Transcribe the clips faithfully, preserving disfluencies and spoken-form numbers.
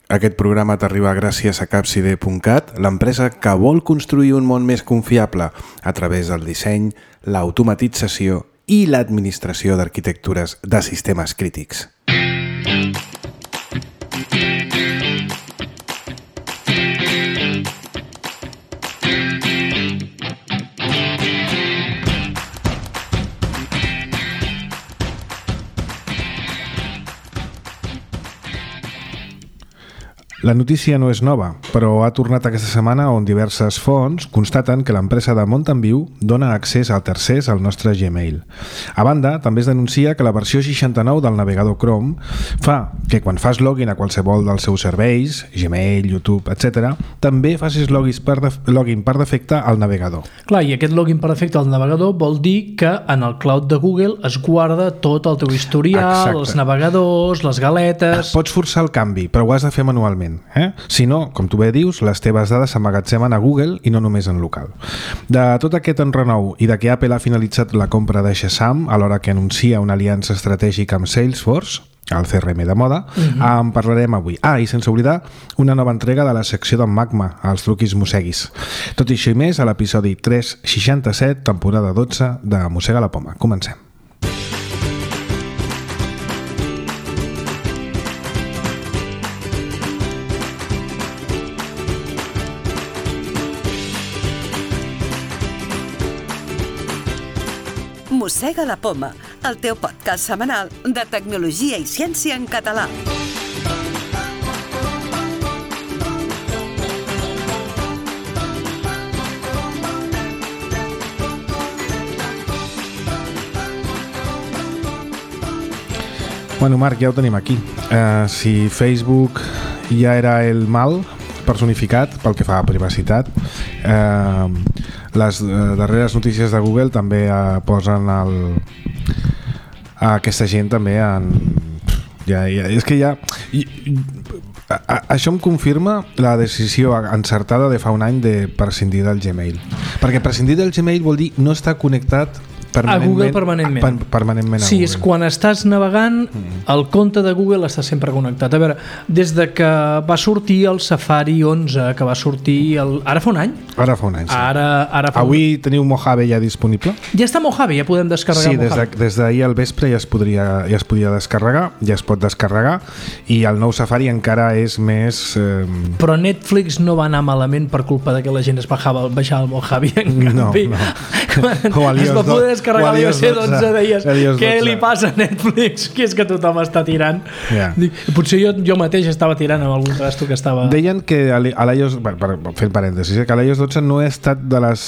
Aquest programa t'arriba gràcies a capcide punt cat, l'empresa que vol construir un món més confiable a través del disseny, l'automatització i l'administració d'arquitectures de sistemes crítics. La notícia no és nova, però ha tornat aquesta setmana on diverses fonts constaten que l'empresa de Mountain View dona accés a tercers al nostre Gmail. A banda, també es denuncia que la versió seixanta-nou del navegador Chrome fa que quan fas login a qualsevol dels seus serveis, Gmail, YouTube, etcètera, també facis login per, def login per defecte al navegador. Clar, i aquest login per defecte al navegador vol dir que en el cloud de Google es guarda tot el teu historial, Exacte. Els navegadors, les galetes... Pots forçar el canvi, però ho has de fer manualment. Eh? Si no, com tu bé dius, les teves dades s'emmagatzemen a Google i no només en local. De tot aquest enrenou i de que Apple ha finalitzat la compra de Shazam alhora que anuncia una aliança estratègica amb Salesforce, el C R M de moda, uh-huh. en parlarem avui. Ah, i sense oblidar, una nova entrega de la secció d'en Magma, els truquis mosseguis. Tot i això i més, a l'episodi tres seixanta-set, temporada dotze de Mossega la Poma. Comencem. Mossega la Poma, el teu podcast setmanal de tecnologia i ciència en català. Bueno, Marc, ja ho tenim aquí. Uh, si Facebook ja era el mal personificat pel que fa a privacitat, eh, les darreres notícies de Google també eh, posen el, a aquesta gent també en... Ja, ja, és que ja... I, a, a, això em confirma la decisió encertada de fa un any de prescindir del Gmail. Perquè prescindir del Gmail vol dir no estar connectat a Google permanentment. Per, permanentment a sí, Google. És quan estàs navegant, mm. el compte de Google està sempre connectat. A veure, des de que va sortir el Safari onze, que va sortir el... ara fa un any? Ara fa un any, sí. Ara, ara fa Avui un... teniu Mojave ja disponible? Ja està Mojave, ja podem descarregar sí, Mojave. Sí, des d'ahir al vespre ja es, podria, ja es podia descarregar, ja es pot descarregar, i el nou Safari encara és més... Eh... Però Netflix no va anar malament per culpa de que la gent es bajava, baixava el Mojave. En no, canvi, no. Quan es va poder descarregar l'i o esse dotze, deies, què li passa a Netflix? Que és que tothom està tirant. Yeah. Potser jo, jo mateix estava tirant amb algun trasto que estava... Deien que a l'iOS, per, per fer parèntesis, que l'iOS dotze no ha estat de les,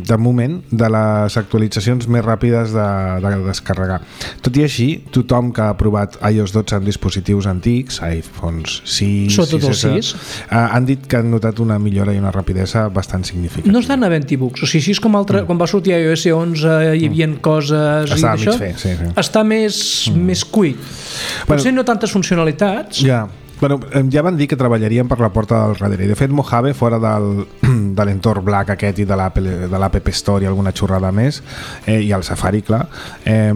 de moment, de les actualitzacions més ràpides de, de descarregar. Tot i així, tothom que ha provat iOS dotze en dispositius antics, iPhones sis, sobretot el sis, han dit que han notat una millora i una rapidesa bastant significativa. No estan havent-hi bugs, o sigui, així és com altre, mm. quan va sortir iOS onze hi havia mm. coses està i això, fer, sí, sí. està més, mm. més cuit. Potser bueno, no tantes funcionalitats. Ja. Bueno, ja van dir que treballarien per la porta del darrere i de fet Mojave fora del, de l'entorn Black aquest i de l'App Store i alguna xorrada més eh, i el Safari, clar, eh,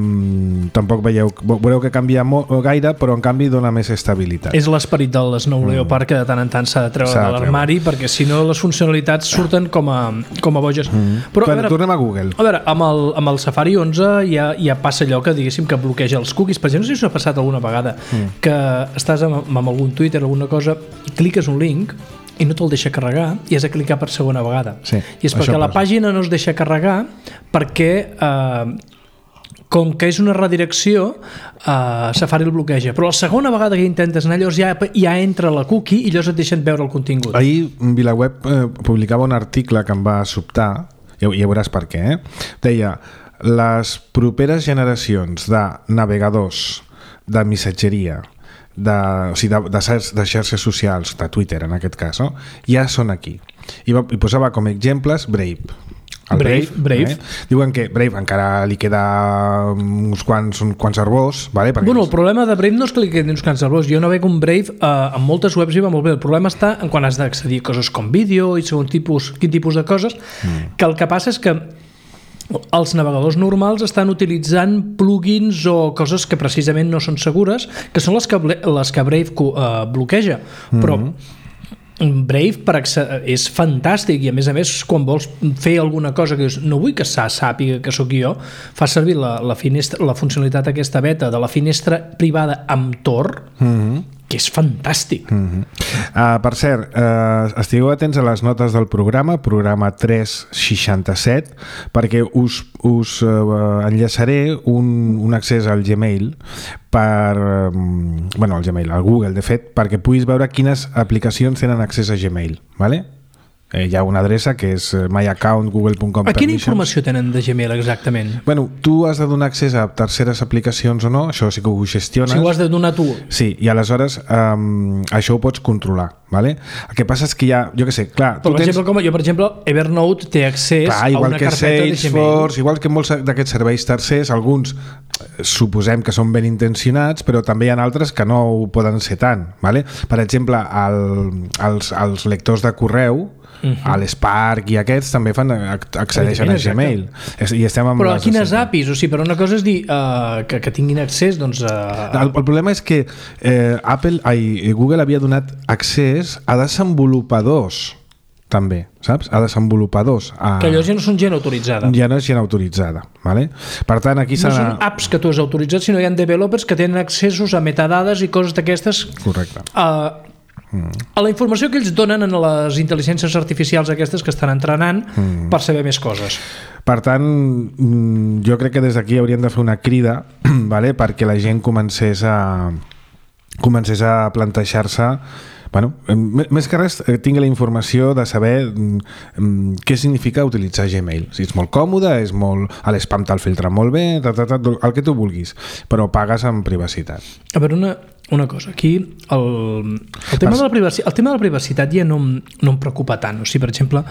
tampoc veieu, veureu que canvia molt, gaire, però en canvi dona més estabilitat. És l'esperit del Snow Leopard mm. que de tant en tant s'ha de treure de l'armari perquè si no les funcionalitats surten com a, com a boges. Mm. Però, però a veure, tornem a Google. A veure, amb el, amb el Safari onze ja, ja passa allò que diguéssim que bloqueja els cookies. Per exemple, no sé si us ha passat alguna vegada mm. que estàs amb, amb algun Twitter, alguna cosa, i cliques un link i no te'l deixa carregar i has de clicar per segona vegada. Sí, I és perquè la pàgina no es deixa carregar perquè eh, com que és una redirecció eh, Safari el bloqueja, però la segona vegada que intentes anar llavors ja, ja entra la cookie i llavors et deixen veure el contingut. Ahir VilaWeb eh, publicava un article que em va sobtar, ja, ja veuràs per què, eh? Deia, les properes generacions de navegadors de missatgeria de, o sigui, de, de, de xarxes socials, de Twitter en aquest cas, no? Ja són aquí. I, va, i posava com exemples Brave. El Brave, Brave. Brave. Eh? Diuen que Brave encara li queda uns quants, uns quants arbors, vale? Perquè bueno, el problema de Brave no és que li quedin uns quants arbors. Jo no veig un Brave, eh, en moltes webs hi va molt bé. El problema està en quan has d'accedir a coses com vídeo i segon tipus, quin tipus de coses, mm. que el que passa és que els navegadors normals estan utilitzant plugins o coses que precisament no són segures, que són les que, les que Brave uh, bloqueja, però mm-hmm. Brave per és fantàstic i a més a més quan vols fer alguna cosa que dius, no vull que sàpiga que sóc jo, fa servir la, la, finestra, la funcionalitat aquesta beta de la finestra privada amb Tor, mm-hmm. que és fantàstic. Mm-hmm. uh, per cert, uh, estigueu atents a les notes del programa, programa tres seixanta-set, perquè us, us uh, enllaçaré un, un accés al Gmail per, um, bueno, al Gmail, al Google, de fet, perquè puguis veure quines aplicacions tenen accés a Gmail, ¿vale? Eh, hi ha una adreça que és myaccount google punt com. A quina informació tenen de Gmail exactament? Bueno, tu has de donar accés a terceres aplicacions o no, això sí que ho gestiones. Si ho has de donar tu. Sí, i aleshores um, això ho pots controlar, ¿vale? El que passa és que hi ha, jo què sé, clar... Però, per tens... exemple, com jo, per exemple, Evernote té accés clar, a una carpeta de Gmail. Igual que molts d'aquests serveis tercers, alguns suposem que són ben intencionats, però també hi ha altres que no ho poden ser tant, ¿vale? Per exemple, el, els, els lectors de correu, Uh-huh. a l'Spark i aquests també fan accedeixen a Gmail i estem amb però a quines A P Is? O sigui, però una cosa és dir uh, que, que tinguin accés doncs, a... el, el problema és que eh, Apple, ai, Google havia donat accés a desenvolupadors també, saps? A desenvolupadors a... que allò ja no són gent autoritzada ja no és gent autoritzada, vale? Per tant aquí no s'ha... són apps que tu has autoritzat, sinó hi ha developers que tenen accessos a metadades i coses d'aquestes. Correcte. Uh, a la informació que ells donen en les intel·ligències artificials aquestes que estan entrenant mm. per saber més coses. Per tant, jo crec que des d'aquí hauríem de fer una crida, vale? Perquè la gent comencés a comencés a plantejar-se, bueno, més que res tingui la informació de saber um, què significa utilitzar Gmail. Si és molt còmode, és molt... a l'spam te'l filtra molt bé, ta, ta, ta, el que tu vulguis, però pagues amb privacitat. A veure, una, una cosa, aquí el, el, tema de la privacitat, el tema de la privacitat ja no, no em preocupa tant. O sigui, per exemple,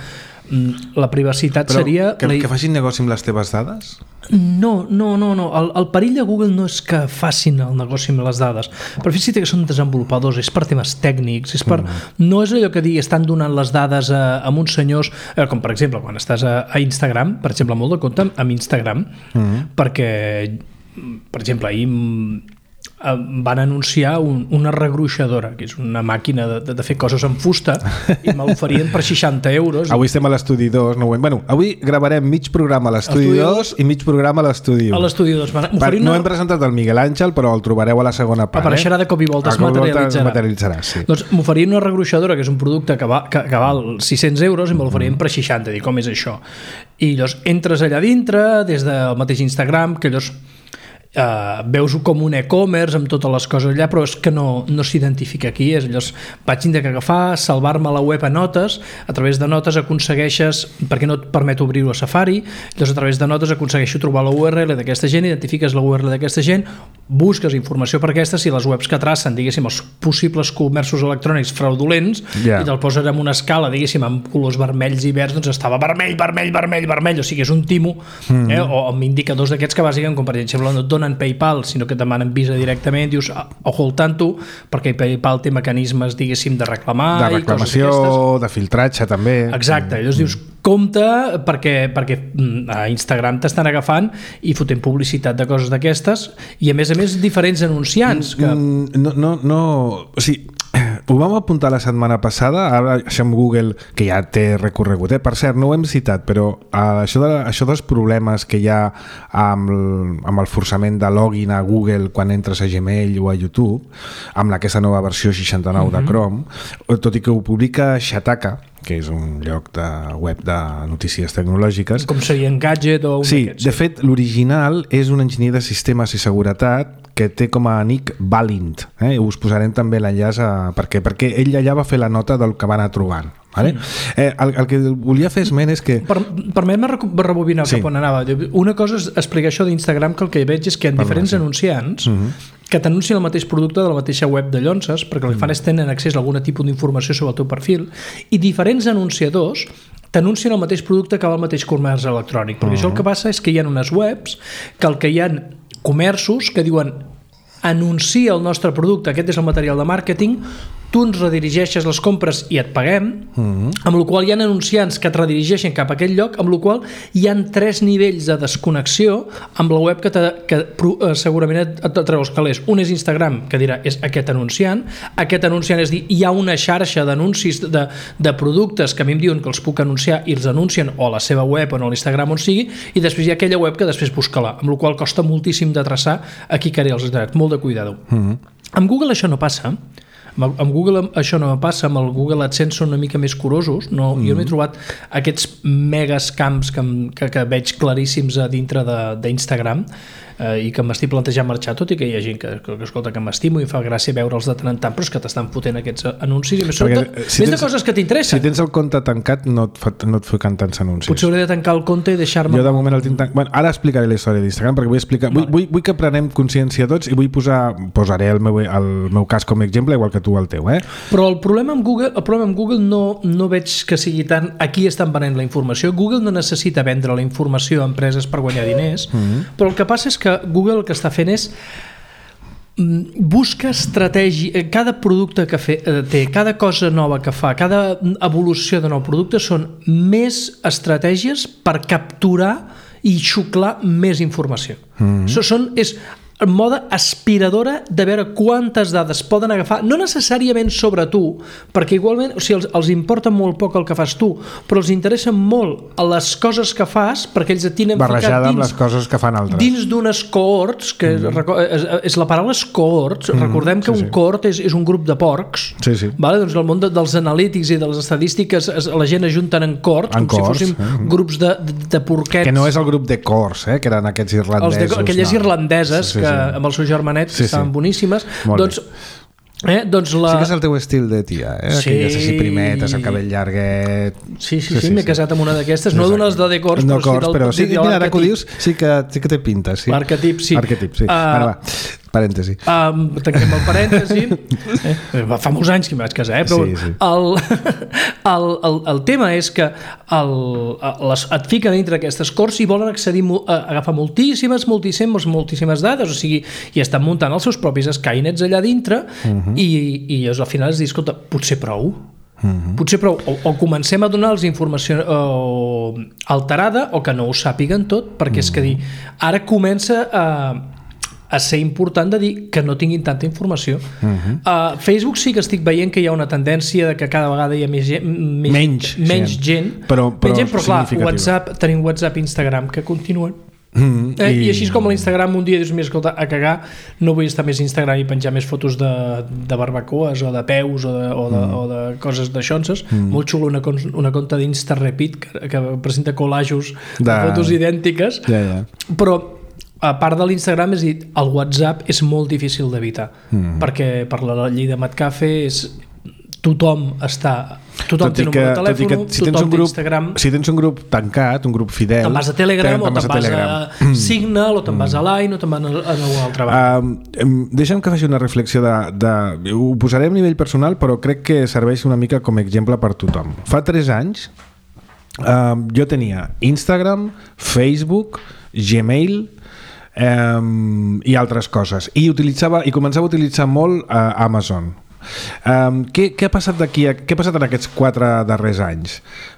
la privacitat però seria... Que, la... que facin negoci amb les teves dades? No, no, no, no. El, el perill de Google no és que facin el negoci amb les dades, però fixa't que són desenvolupadors, és per temes tècnics, és per... Mm. No és allò que digui, estan donant les dades a, a uns senyors, eh, com per exemple quan estàs a, a Instagram, per exemple, molt de compte amb Instagram, mm. perquè, per exemple, ahir van anunciar un, una regruixadora, que és una màquina de, de fer coses amb fusta, i me l'oferien per seixanta euros. Avui estem a l'estudi dos, no ho hem... Bueno, avui gravarem mig programa a l'estudi dos i mig programa a l'estudi u. A l'estudi dos. Per, no hem presentat el Miguel Àngel, però el trobareu a la segona part. Apareixerà de cop i volta, es materialitzarà. materialitzarà sí. Doncs m'oferien una regruixadora, que és un producte que, va, que, que val sis-cents euros, i me l'oferien per seixanta. Dic, com és això? I llavors entres allà dintre, des del mateix Instagram, que llavors Uh, veus com un e-commerce amb totes les coses allà, però és que no, no s'identifica aquí. És allò, vaig tindre que agafar, salvar-me la web a notes, a través de notes aconsegueixes, perquè no et permet obrir-ho a Safari, llavors a través de notes aconsegueixo trobar la U R L d'aquesta gent, identifiques la U R L d'aquesta gent, busques informació per aquestes, i les webs que tracen, diguéssim, els possibles comerços electrònics fraudulents, yeah. i te'l posen en una escala, diguéssim, amb colors vermells i verds, doncs estava vermell, vermell, vermell, vermell, o sigui, és un timo, mm. eh? o amb indicadors d'aquests que bàsicament, com per exemple, no et donen PayPal, sinó que et demanen Visa directament, dius, ojo al tanto, perquè PayPal té mecanismes, diguéssim, de reclamar, de reclamació, de filtratge també. Exacte, llavors mm. dius, compte, perquè, perquè a Instagram t'estan agafant i fotent publicitat de coses d'aquestes, i a més a més diferents anunciants que... no, no, no, o sigui, ho vam apuntar la setmana passada, ara això amb Google, que ja té recorregut, eh? Per cert, no ho hem citat, però uh, això, de, això dels problemes que hi ha amb el, amb el forçament de login a Google quan entres a Gmail o a YouTube, amb aquesta nova versió seixanta-nou uh-huh. de Chrome, tot i que ho publica Shataka, que és un lloc de web de notícies tecnològiques. Com seria Engadget o un sí, d'aquests. De fet, l'original és un enginyer de sistemes i seguretat que té com a nick Balint. Eh? Us posarem també l'enllaç a... Per què? Perquè ell allà va fer la nota del que va anar trobant. Vale? Mm. Eh, el, el que volia fer esment és que... Per, permet-me rebobinar sí. cap on anava. Una cosa és explicar això d'Instagram, que el que veig és que hi ha per diferents no, sí. anunciants mm-hmm. que t'anuncien el mateix producte de la mateixa web de Llonses, perquè el que fan és tenen accés a algun tipus d'informació sobre el teu perfil, i diferents anunciadors t'anuncien el mateix producte que va al mateix comerç electrònic, perquè uh-huh. això el que passa és que hi ha unes webs que el que hi ha comerços que diuen anuncia el nostre producte, aquest és el material de màrqueting, tu ens redirigeixes les compres i et paguem, mm-hmm. amb la qual hi ha anunciants que et redirigeixen cap a aquell lloc, amb la qual hi ha tres nivells de desconnexió amb la web que, te, que eh, segurament et, et treu els calés. Un és Instagram, que dirà és aquest anunciant, aquest anunciant és dir, hi ha una xarxa d'anuncis de, de productes que a mi em diuen que els puc anunciar i els anuncien o a la seva web o a l'Instagram on sigui, i després hi ha aquella web que després busca-la, amb la qual costa moltíssim de traçar a qui queri els drets, molt de cuidado. Mm-hmm. Amb Google això no passa. Amb Google això no passa, amb el Google AdSense són una mica més curosos, no, mm. jo no he trobat aquests megas camps que, que, que veig claríssims a dintre d'Instagram eh, i que m'estic plantejant marxar, tot i que hi ha gent que, que, que escolta que m'estimo i fa gràcia veure'ls de tant en tant, però és que t'estan fotent aquests anuncis i més, Perquè, sobretot, si més tens, de coses que t'interessen. Si tens el compte tancat no et, fa, no et fiquen tants anuncis. Potser hauré de tancar el compte i deixar-me... Jo de moment el tinc tancat. Bueno, ara explicaré la història d'Instagram perquè vull explicar... Vale. Vull, vull, vull que prenem consciència tots i vull posar... Posaré el meu, el meu cas com a exemple igual que tu el teu, eh? Però el problema amb Google, el problema amb Google no, no veig que sigui tant aquí estan venent la informació. Google no necessita vendre la informació a empreses per guanyar diners, mm-hmm. però el que passa és que Google el que està fent és busca estratègia, cada producte que fe, té, cada cosa nova que fa, cada evolució de nou producte són més estratègies per capturar i xuclar més informació. Mm-hmm. So, són, és en mode aspiradora de veure quantes dades poden agafar, no necessàriament sobre tu, perquè igualment, o sigui, els, els importa molt poc el que fas tu, però els interessa molt les coses que fas, perquè ells et tenen barrejada ficat dins, amb les coses que fan altres. Dins d'unes cohorts, que mm. és, és la paraula és cohorts, mm. recordem que sí, un sí. cohort és, és un grup de porcs, sí, sí. Vale? Doncs el món de, dels analítics i de les estadístiques es, la gent ajunten en cohorts, en com cohorts, si fóssim mm. grups de, de, de porquets. Que no és el grup de cors, eh? Que eren aquests irlandesos. Els de, aquelles no. irlandeses sí, sí, sí. que amb el seu germanet sí, estaven sí. boníssimes. Molt doncs, eh, doncs la... Sí que és el teu estil de tia, eh? Sí. Aquelles així primetes, el cabell llarguet... Sí, sí, sí, sí, sí m'he sí. casat amb una d'aquestes, no d'unes de decors, no però, cors, sí, però sí, mira, ara que ho dius, sí que, sí que té pinta, sí. L'arquetip, sí. Arquetip, sí. Uh, ara va, parèntesi. Um, tanquem el parèntesi. eh, fa molts anys que em vaig casar, eh? Però sí, sí. El, el, el, el tema és que el, les, et fiquen dintre d'aquestes cors i volen accedir a agafar moltíssimes, moltíssimes, moltíssimes dades, o sigui, i estan muntant els seus propis Skynets allà dintre uh-huh. i, i al final es diu, escolta, potser prou. Uh-huh. Potser prou, o, o comencem a donar-los informació o, alterada o que no ho sàpiguen tot, perquè uh-huh. és que dir, ara comença a a ser important de dir que no tinguin tanta informació. Uh-huh. Uh, Facebook sí que estic veient que hi ha una tendència de que cada vegada hi ha més gent, més, menys, menys gent, però, però, menys gent, però clar, WhatsApp, tenim WhatsApp i Instagram que continuen. Mm, eh, i... I així com a l'Instagram un dia dius, mira, escolta, a cagar, no vull estar més a Instagram i penjar més fotos de, de barbacoes o de peus o de, o de, mm. o de coses d'aixonses. Mm. Molt xulo una, una conta d'Insta-Repeat que, que presenta col·lajos de, de fotos idèntiques. Ja, ja. Però a part de l'Instagram, és dir, el WhatsApp és molt difícil d'evitar, mm. perquè per la llei de Metcalfe és tothom està tothom té número de telèfon, si tothom té grup, Instagram. Si tens un grup tancat, un grup fidel, te'n vas a Telegram o te'n vas a, a Signal o te'n vas a Line o te'n vas a alguna altra banda. Um, deixa'm que faci una reflexió de, de... Ho posaré a nivell personal, però crec que serveix una mica com a exemple per tothom. Fa tres anys um, jo tenia Instagram, Facebook, Gmail Um, i altres coses i utilitzava i començava a utilitzar molt uh, Amazon. Um, què, què ha passat d'aquí a, què ha passat en aquests quatre darrers anys?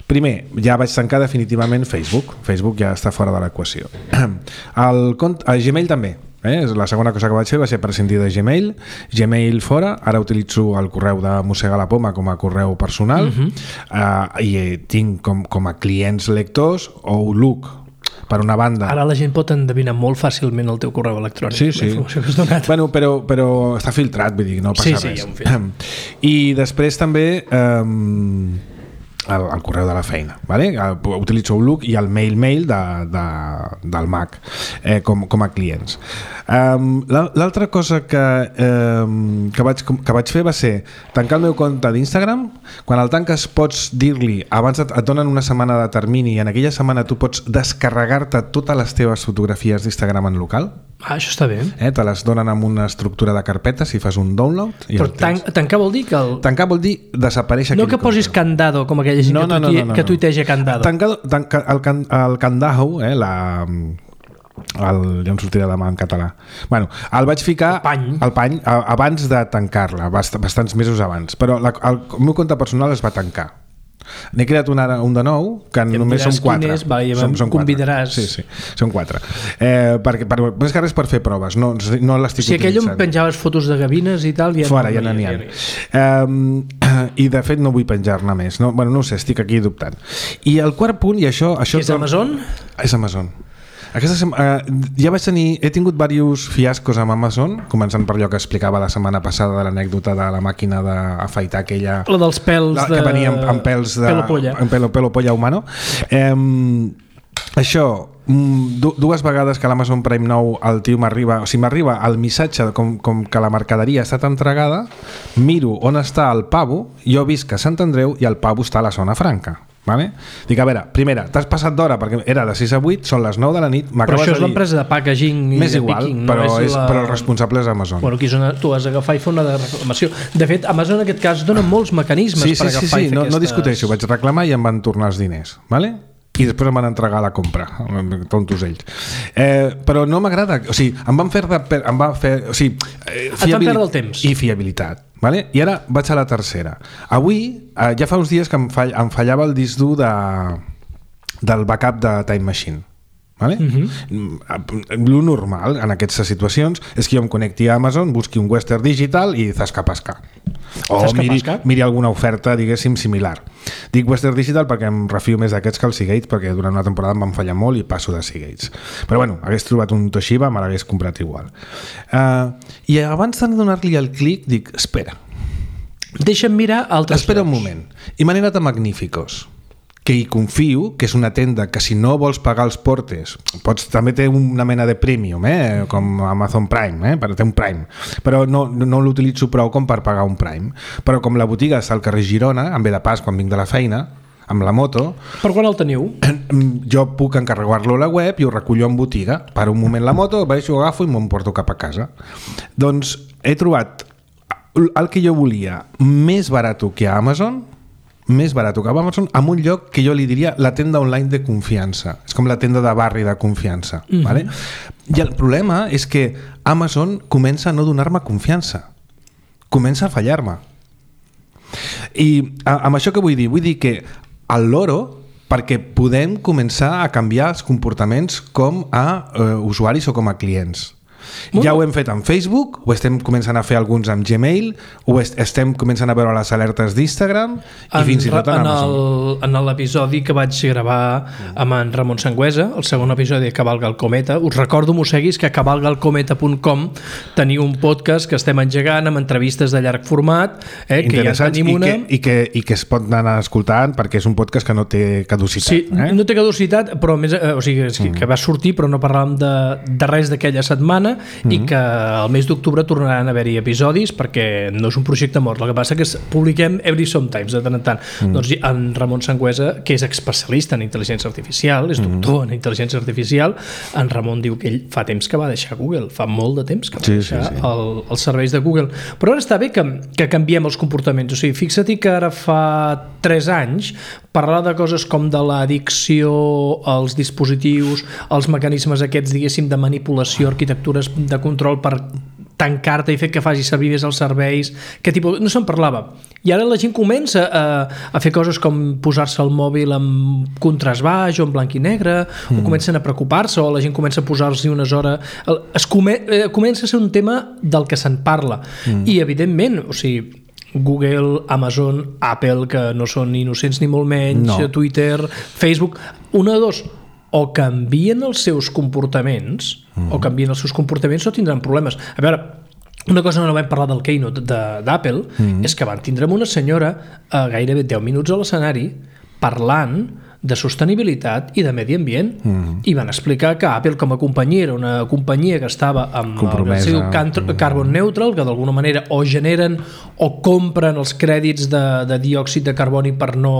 Primer, ja vaig tancar definitivament Facebook. Facebook ja està fora de l'equació. El, el Gmail també. Eh? La segona cosa que vaig fer va ser prescindir de Gmail. Gmail fora, ara utilitzo el correu de Mossegar la Poma com a correu personal. Uh-huh. uh, i tinc com, com a clients lectors Outlook per una banda. Ara la gent pot endevinar molt fàcilment el teu correu electrònic. Sí, sí. Que has donat. Bueno, però, però està filtrat, vull dir, no passa sí, sí, res. Ja I després també um, el, el correu de la feina, vale? Utilitzo Outlook i el mail mail de, de, del Mac eh, com, com a clients. Um, L'altra cosa que, um, que, vaig, que vaig fer va ser tancar el meu compte d'Instagram. Quan el tanques pots dir-li, abans et, et donen una setmana de termini i en aquella setmana tu pots descarregar-te totes les teves fotografies d'Instagram en local. Ah, això està bé. Eh, te les donen amb una estructura de carpetes i fas un download. I però tan, tancar vol dir que... El... Tancar vol dir desaparèixer no que posis compte. Candado, com aquella gent no, no, no, no, no, que tuiteja Candado. Tancado, tanca, el, can, el Candaho, eh, la... el, ja em sortirà demà en català. Bueno, el vaig ficar el pany, el pany a, abans de tancar-la, bast, bastants mesos abans, però la, el, el meu compte personal es va tancar. N'he creat un, ara, un de nou que ja només són quatre. És, va, ja som, són convidaràs. Sí, sí, són quatre. Eh, perquè, per, més que res per fer proves, no, no l'estic si utilitzant. Si aquell on penjaves fotos de gavines i tal... Ja Fora, no, ja n'hi ha. Ja, ja, I de fet no vull penjar-ne més. No? Bueno, no ho sé, estic aquí dubtant. I el quart punt, i això... això és Amazon? És Amazon. Aquesta setmana, eh, ja vaig tenir, he tingut diversos fiascos amb Amazon, començant per allò que explicava la setmana passada de l'anècdota de la màquina d'afaitar aquella... La dels pèls la, de... Que venia amb, amb pèls de... Pelo polla. Amb pelo, pelo polla humano. Eh, això, dues vegades que a l'Amazon Prime nou el tio m'arriba, o sigui, m'arriba el missatge com, com que la mercaderia ha estat entregada, miro on està el pavo, jo visc a Sant Andreu i el pavo està a la zona franca. Vale? Dic, a veure, primera, t'has passat d'hora perquè era de sis a vuit, són les nou de la nit, però això és l'empresa de packaging i més de igual, picking, però, no és és, la... però el responsable és Amazon. Bueno, aquí zona, tu has d'agafar i fer una de reclamació. De fet, Amazon en aquest cas dona molts mecanismes sí, per sí, agafar sí, sí, i fer no, aquestes... no discuteixo, vaig reclamar i em van tornar els diners, vale? I després em van entregar la compra, tontos ells. Eh, però no m'agrada, o sigui, em van fer, de, em van fer o sigui, eh, et van perdre el temps. I fiabilitat. Vale? I ara vaig a la tercera. Avui, eh, ja fa uns dies que em, fall, em fallava el disc dur de, del backup de Time Machine. Vale? Uh-huh. Lo normal en aquestes situacions és que jo em connecti a Amazon, busqui un Western Digital i zasca-pasca. O miri, miri alguna oferta, diguéssim, similar. Dic Western Digital perquè em refio més d'aquests que el Seagate, perquè durant una temporada em van fallar molt i passo de Seagates. Però bueno, hagués trobat un Toshiba, me l'hagués comprat igual. Uh, I abans de donar-li el clic, dic, espera. Deixa'm mirar altres Espera llocs. un moment. I m'he anat a Magníficos, que hi confio, que és una tenda que si no vols pagar els portes, pots, també té una mena de premium, eh? Com Amazon Prime, eh? Però té un Prime, però no, no l'utilitzo prou com per pagar un Prime. Però com la botiga està al carrer Girona, em ve de pas quan vinc de la feina, amb la moto... Per quan el teniu? Jo puc encarregar-lo a la web i ho recullo en botiga. Per un moment la moto, baixo, agafo i m'emporto cap a casa. Doncs he trobat el que jo volia més barat que a Amazon, més barat que a Amazon, en un lloc que jo li diria la tenda online de confiança. És com la tenda de barri de confiança. Mm-hmm. Vale? I el problema és que Amazon comença a no donar-me confiança. Comença a fallar-me. I amb això què vull dir? Vull dir que el loro, perquè podem començar a canviar els comportaments com a eh, usuaris o com a clients. Ja ho hem fet amb Facebook, ho estem començant a fer alguns amb Gmail, ho est estem començant a veure les alertes d'Instagram i en, fins i tot en, en Amazon. El, en l'episodi que vaig gravar amb en Ramon Sangüesa, el segon episodi de Cavalga el Cometa, us recordo, m'ho seguis, que a cavalga el cometa punt com teniu un podcast que estem engegant amb entrevistes de llarg format, eh, que ja tenim i una... Que, i, que, i que es pot anar escoltant perquè és un podcast que no té caducitat. Sí, eh? no té caducitat, però més, eh, o sigui, que, que va sortir però no parlàvem de, de res d'aquella setmana. Mm-hmm. I que al mes d'octubre tornaran a haver-hi episodis perquè no és un projecte mort, el que passa que publiquem every sometimes de tant en tant. Mm. Doncs en Ramon Sangüesa, que és especialista en intel·ligència artificial, és doctor mm. en intel·ligència artificial, en Ramon diu que ell fa temps que va deixar Google, fa molt de temps que va sí, deixar sí, sí. El, els serveis de Google, però ara està bé que, que canviem els comportaments, o sigui, fixa-t'hi que ara fa tres anys parlar de coses com de l'addicció als dispositius, els mecanismes aquests, diguéssim, de manipulació, arquitectures de control per tancar-te i fer que faci servir més els serveis, que tipus, no se'n parlava. I ara la gent comença a, a fer coses com posar-se el mòbil amb contrast baix o en blanc i negre, mm. o comencen a preocupar-se, o la gent comença a posar-s'hi unes hores... Es come, eh, comença a ser un tema del que se'n parla. Mm. I, evidentment, o sigui, Google, Amazon, Apple, que no són innocents ni molt menys, no. Twitter, Facebook, una de dos, o canvien els seus comportaments, mm. o canvien els seus comportaments o tindran problemes. A veure, una cosa no vam parlar del Keynote d'Apple, mm. és que van tindre una senyora a gairebé deu minuts a l'escenari parlant de sostenibilitat i de medi ambient, mm. i van explicar que Apple com a companyia era una companyia que estava amb el seu carbon neutral, que d'alguna manera o generen o compren els crèdits de, de diòxid de carboni per no,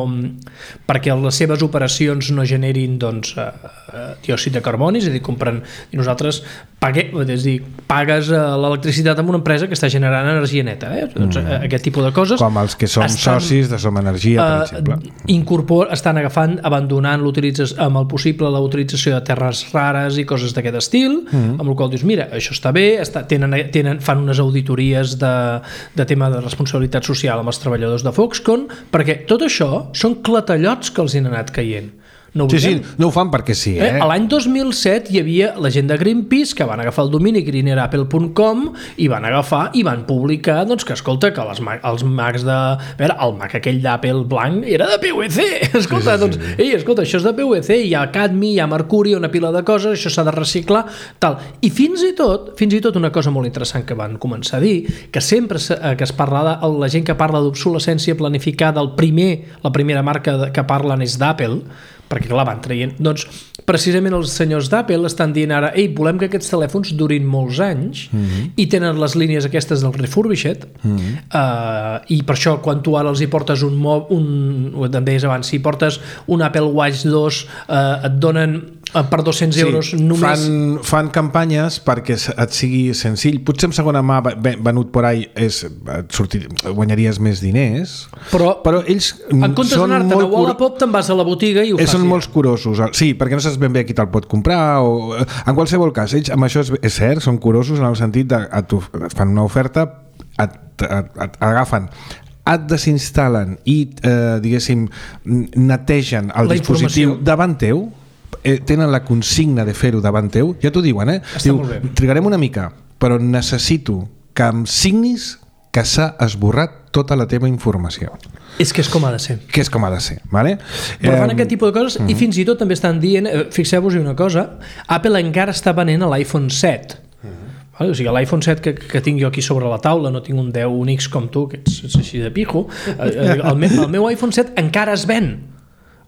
perquè les seves operacions no generin doncs, eh, diòxid de carboni, és a dir, compren, i nosaltres paguem, és a dir, pagues l'electricitat amb una empresa que està generant energia neta, eh? Doncs, mm. aquest tipus de coses com els que som estan, socis de Som Energia, per exemple, incorpor, estan agafant a abandonant l'utilització, amb el possible la utilització de terres rares i coses d'aquest estil, mm-hmm. amb el qual dius, mira, això està bé, està, tenen, tenen, fan unes auditories de, de tema de responsabilitat social amb els treballadors de Foxconn, perquè tot això són clatellots que els han anat caient. No sí, sí, no ho fan perquè sí, eh? eh? L'any dos mil set hi havia la gent de Greenpeace que van agafar el domini greener apple punt com i van agafar i van publicar doncs, que, escolta, que les, els Macs de... A veure, el Mac aquell d'Apple blanc era de P V C! Escolta, sí, sí, sí. doncs, ei, escolta, això és de P V C, hi ha cadmi, hi ha mercuri, una pila de coses, això s'ha de reciclar, tal. I fins i tot, fins i tot una cosa molt interessant que van començar a dir, que sempre que es parla de, la gent que parla d'obsolescència planificada, el primer, la primera marca que parlen és d'Apple, perquè clar, van traient, doncs precisament els senyors d'Apple estan dient ara, ei, volem que aquests telèfons durin molts anys mm-hmm. i tenen les línies aquestes del refurbished mm-hmm. uh, i per això quan tu ara els hi portes un, un ho deies abans, si portes un Apple Watch dos uh, et donen uh, per dos-cents sí, euros només... Fan, fan campanyes perquè et sigui senzill, potser en segona mà venut por ahí és, sortir, guanyaries més diners, però, però ells en comptes d'anar-te'n a Wallapop te'n vas a la botiga i ho fas. Són molts curosos, sí, perquè no saps ben bé qui te'l pot comprar o... en qualsevol cas, ells amb això és, és cert, són curosos en el sentit de et, et fan una oferta, et, et, et agafen, et desinstal·len i eh, diguéssim netegen el la dispositiu informació. Davant teu, eh, tenen la consigna de fer-ho davant teu, ja t'ho diuen, eh? Està Diu, trigarem una mica, però necessito que em signis que s'ha esborrat tota la teva informació. És que és com ha de ser. Que és com ha de ser, vale? Però fan eh, aquest tipus de coses uh-huh. i fins i tot també estan dient, fixeu-vos una cosa, Apple encara està venent l'iPhone set. Uh-huh. Vale? O sigui, l'iPhone set que, que tinc jo aquí sobre la taula, no tinc un deu, un X com tu, que ets, ets així de pijo, el, el, meu, el meu iPhone set encara es ven.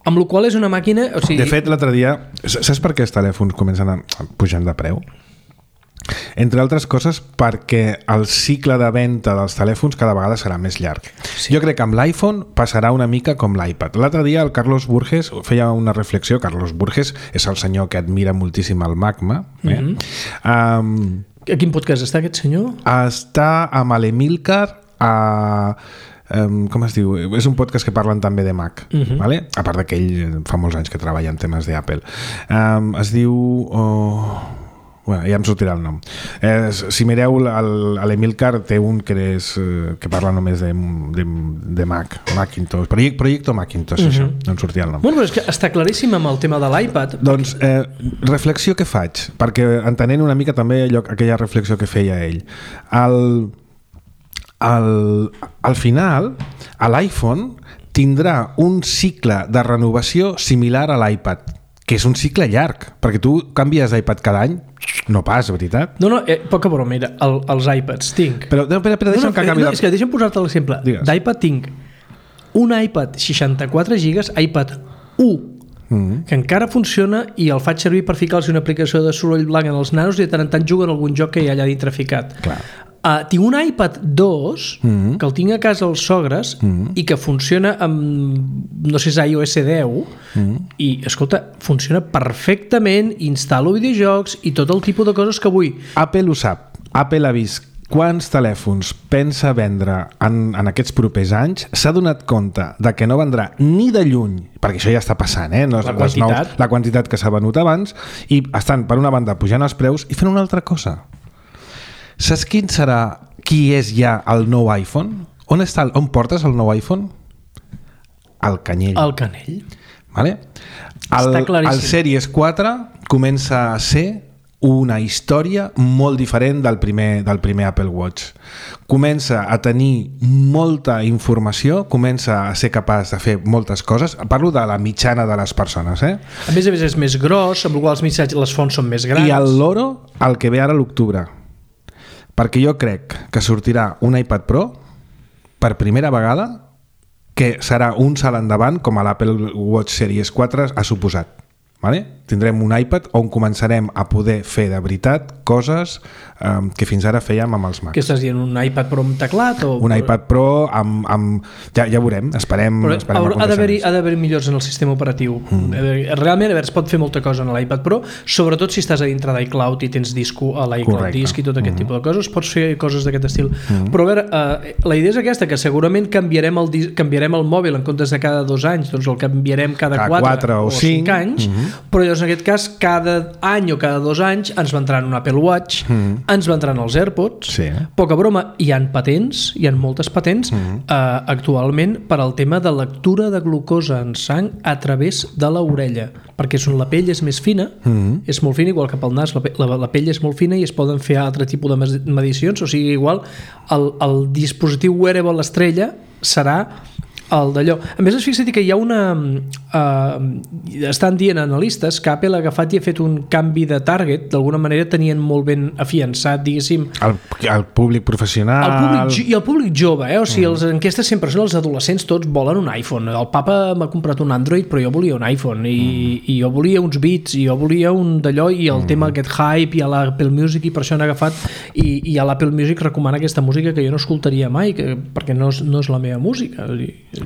Amb la qual és una màquina... O sigui... De fet, l'altre dia... Saps per què els telèfons comencen a pujar de preu? Entre altres coses perquè el cicle de venda dels telèfons cada vegada serà més llarg. Sí. Jo crec que amb l'iPhone passarà una mica com l'iPad. L'altre dia el Carlos Burges feia una reflexió. Carlos Burges és el senyor que admira moltíssim el Magma. Eh? Mm-hmm. um, a quin podcast està aquest senyor? Està amb l'Emilcar a... Um, com es diu? És un podcast que parlen també de Mac, uh-huh. vale? A part que ell fa molts anys que treballa en temes d'Apple. Um, es diu... Oh... Bueno, ja em sortirà el nom. Eh, si mireu, l'Emilcar té un que, és, que parla només de, de, de Mac, Macintosh, projecte, projecte Macintosh, uh-huh. això, no em sortia el nom. Bueno, però és que està claríssim amb el tema de l'iPad. Doncs, eh, reflexió que faig, perquè entenent una mica també allò, aquella reflexió que feia ell. El, el, al final, a l'iPhone tindrà un cicle de renovació similar a l'iPad, que és un cicle llarg, perquè tu canvies d'iPad cada any, no pas, veritat? No, no, eh, poca broma, mira, el, els iPads tinc... Però, no, espera, espera, deixa'm no, no, que acabi... No, és que deixa'm posar-te l'exemple. d'iPad tinc un iPad seixanta-quatre gigas, iPad u, mm-hmm. que encara funciona i el faig servir per ficar-los una aplicació de soroll blanc en els nanos i de tant en tant juguen algun joc que hi ha allà dintre ficat. Clar. Uh, tinc un iPad dos mm-hmm. que el tinc a casa als sogres mm-hmm. i que funciona amb, no sé si és iOS deu mm-hmm. i, escolta, funciona perfectament, instal·lo videojocs i tot el tipus de coses que vull. Apple ho sap. Apple ha vist quants telèfons pensa vendre en, en aquests propers anys, s'ha donat compte de que no vendrà ni de lluny, perquè això ja està passant, eh? No, la, quantitat. Nous, la quantitat que s'ha venut abans, i estan, per una banda, pujant els preus i fent una altra cosa. Saps quin serà, qui és ja el nou iPhone? On està, on portes el nou iPhone? Al canyell. Al canell. Vale? El, està claríssim. El Series quatre comença a ser una història molt diferent del primer, del primer Apple Watch. Comença a tenir molta informació, comença a ser capaç de fer moltes coses. Parlo de la mitjana de les persones. Eh? A més a més és més gros, amb el qual els missatges, les fonts són més grans. I el loro, el que ve ara a l'octubre. Perquè jo crec que sortirà un iPad Pro per primera vegada que serà un salt endavant com a l'Apple Watch Series quatre ha suposat. vale? Tindrem un iPad on començarem a poder fer de veritat coses um, que fins ara fèiem amb els Macs. Què estàs dient? Un iPad Pro amb teclat? O... Un iPad Pro amb... amb ja, ja veurem, esperem, Però esperem ha d'haver-hi ha d'haver millors en el sistema operatiu. Mm. Realment, a veure, es pot fer molta cosa en l'iPad Pro, sobretot si estàs a dintre d'iCloud i tens disco a l'iCloud Disc i tot aquest mm. tipus de coses, pots fer coses d'aquest estil. Mm. Però a veure, uh, la idea és aquesta, que segurament canviarem el, canviarem el mòbil en comptes de cada dos anys, doncs el canviarem cada, cada quatre, quatre o, o cinc anys, mm-hmm. però llavors en aquest cas cada any o cada dos anys ens vendran un Apple Watch, mm. ens vendran els AirPods, sí. Poca broma, hi han patents, hi han moltes patents mm. uh, actualment per al tema de lectura de glucosa en sang a través de l'orella, perquè la pell és més fina, mm. és molt fina, igual que pel nas, la, la, la pell és molt fina i es poden fer altre tipus de medicions, o sigui, igual el, el dispositiu wearable estrella serà el d'allò. A més, es fixa que hi ha una... Uh, estan dient analistes que Apple ha agafat i ha fet un canvi de target, d'alguna manera tenien molt ben afiançat, diguéssim... El, el públic professional... El públic, I el públic jove, eh? O sigui, les enquestes sempre són els adolescents, tots volen un iPhone. El papa m'ha comprat un Android, però jo volia un iPhone, i, mm. i jo volia uns Beats, i jo volia un d'allò, i el mm. tema aquest hype, i a l'Apple Music, i per això han agafat, i, i a l'Apple Music recomana aquesta música que jo no escoltaria mai, que, perquè no és, no és la meva música.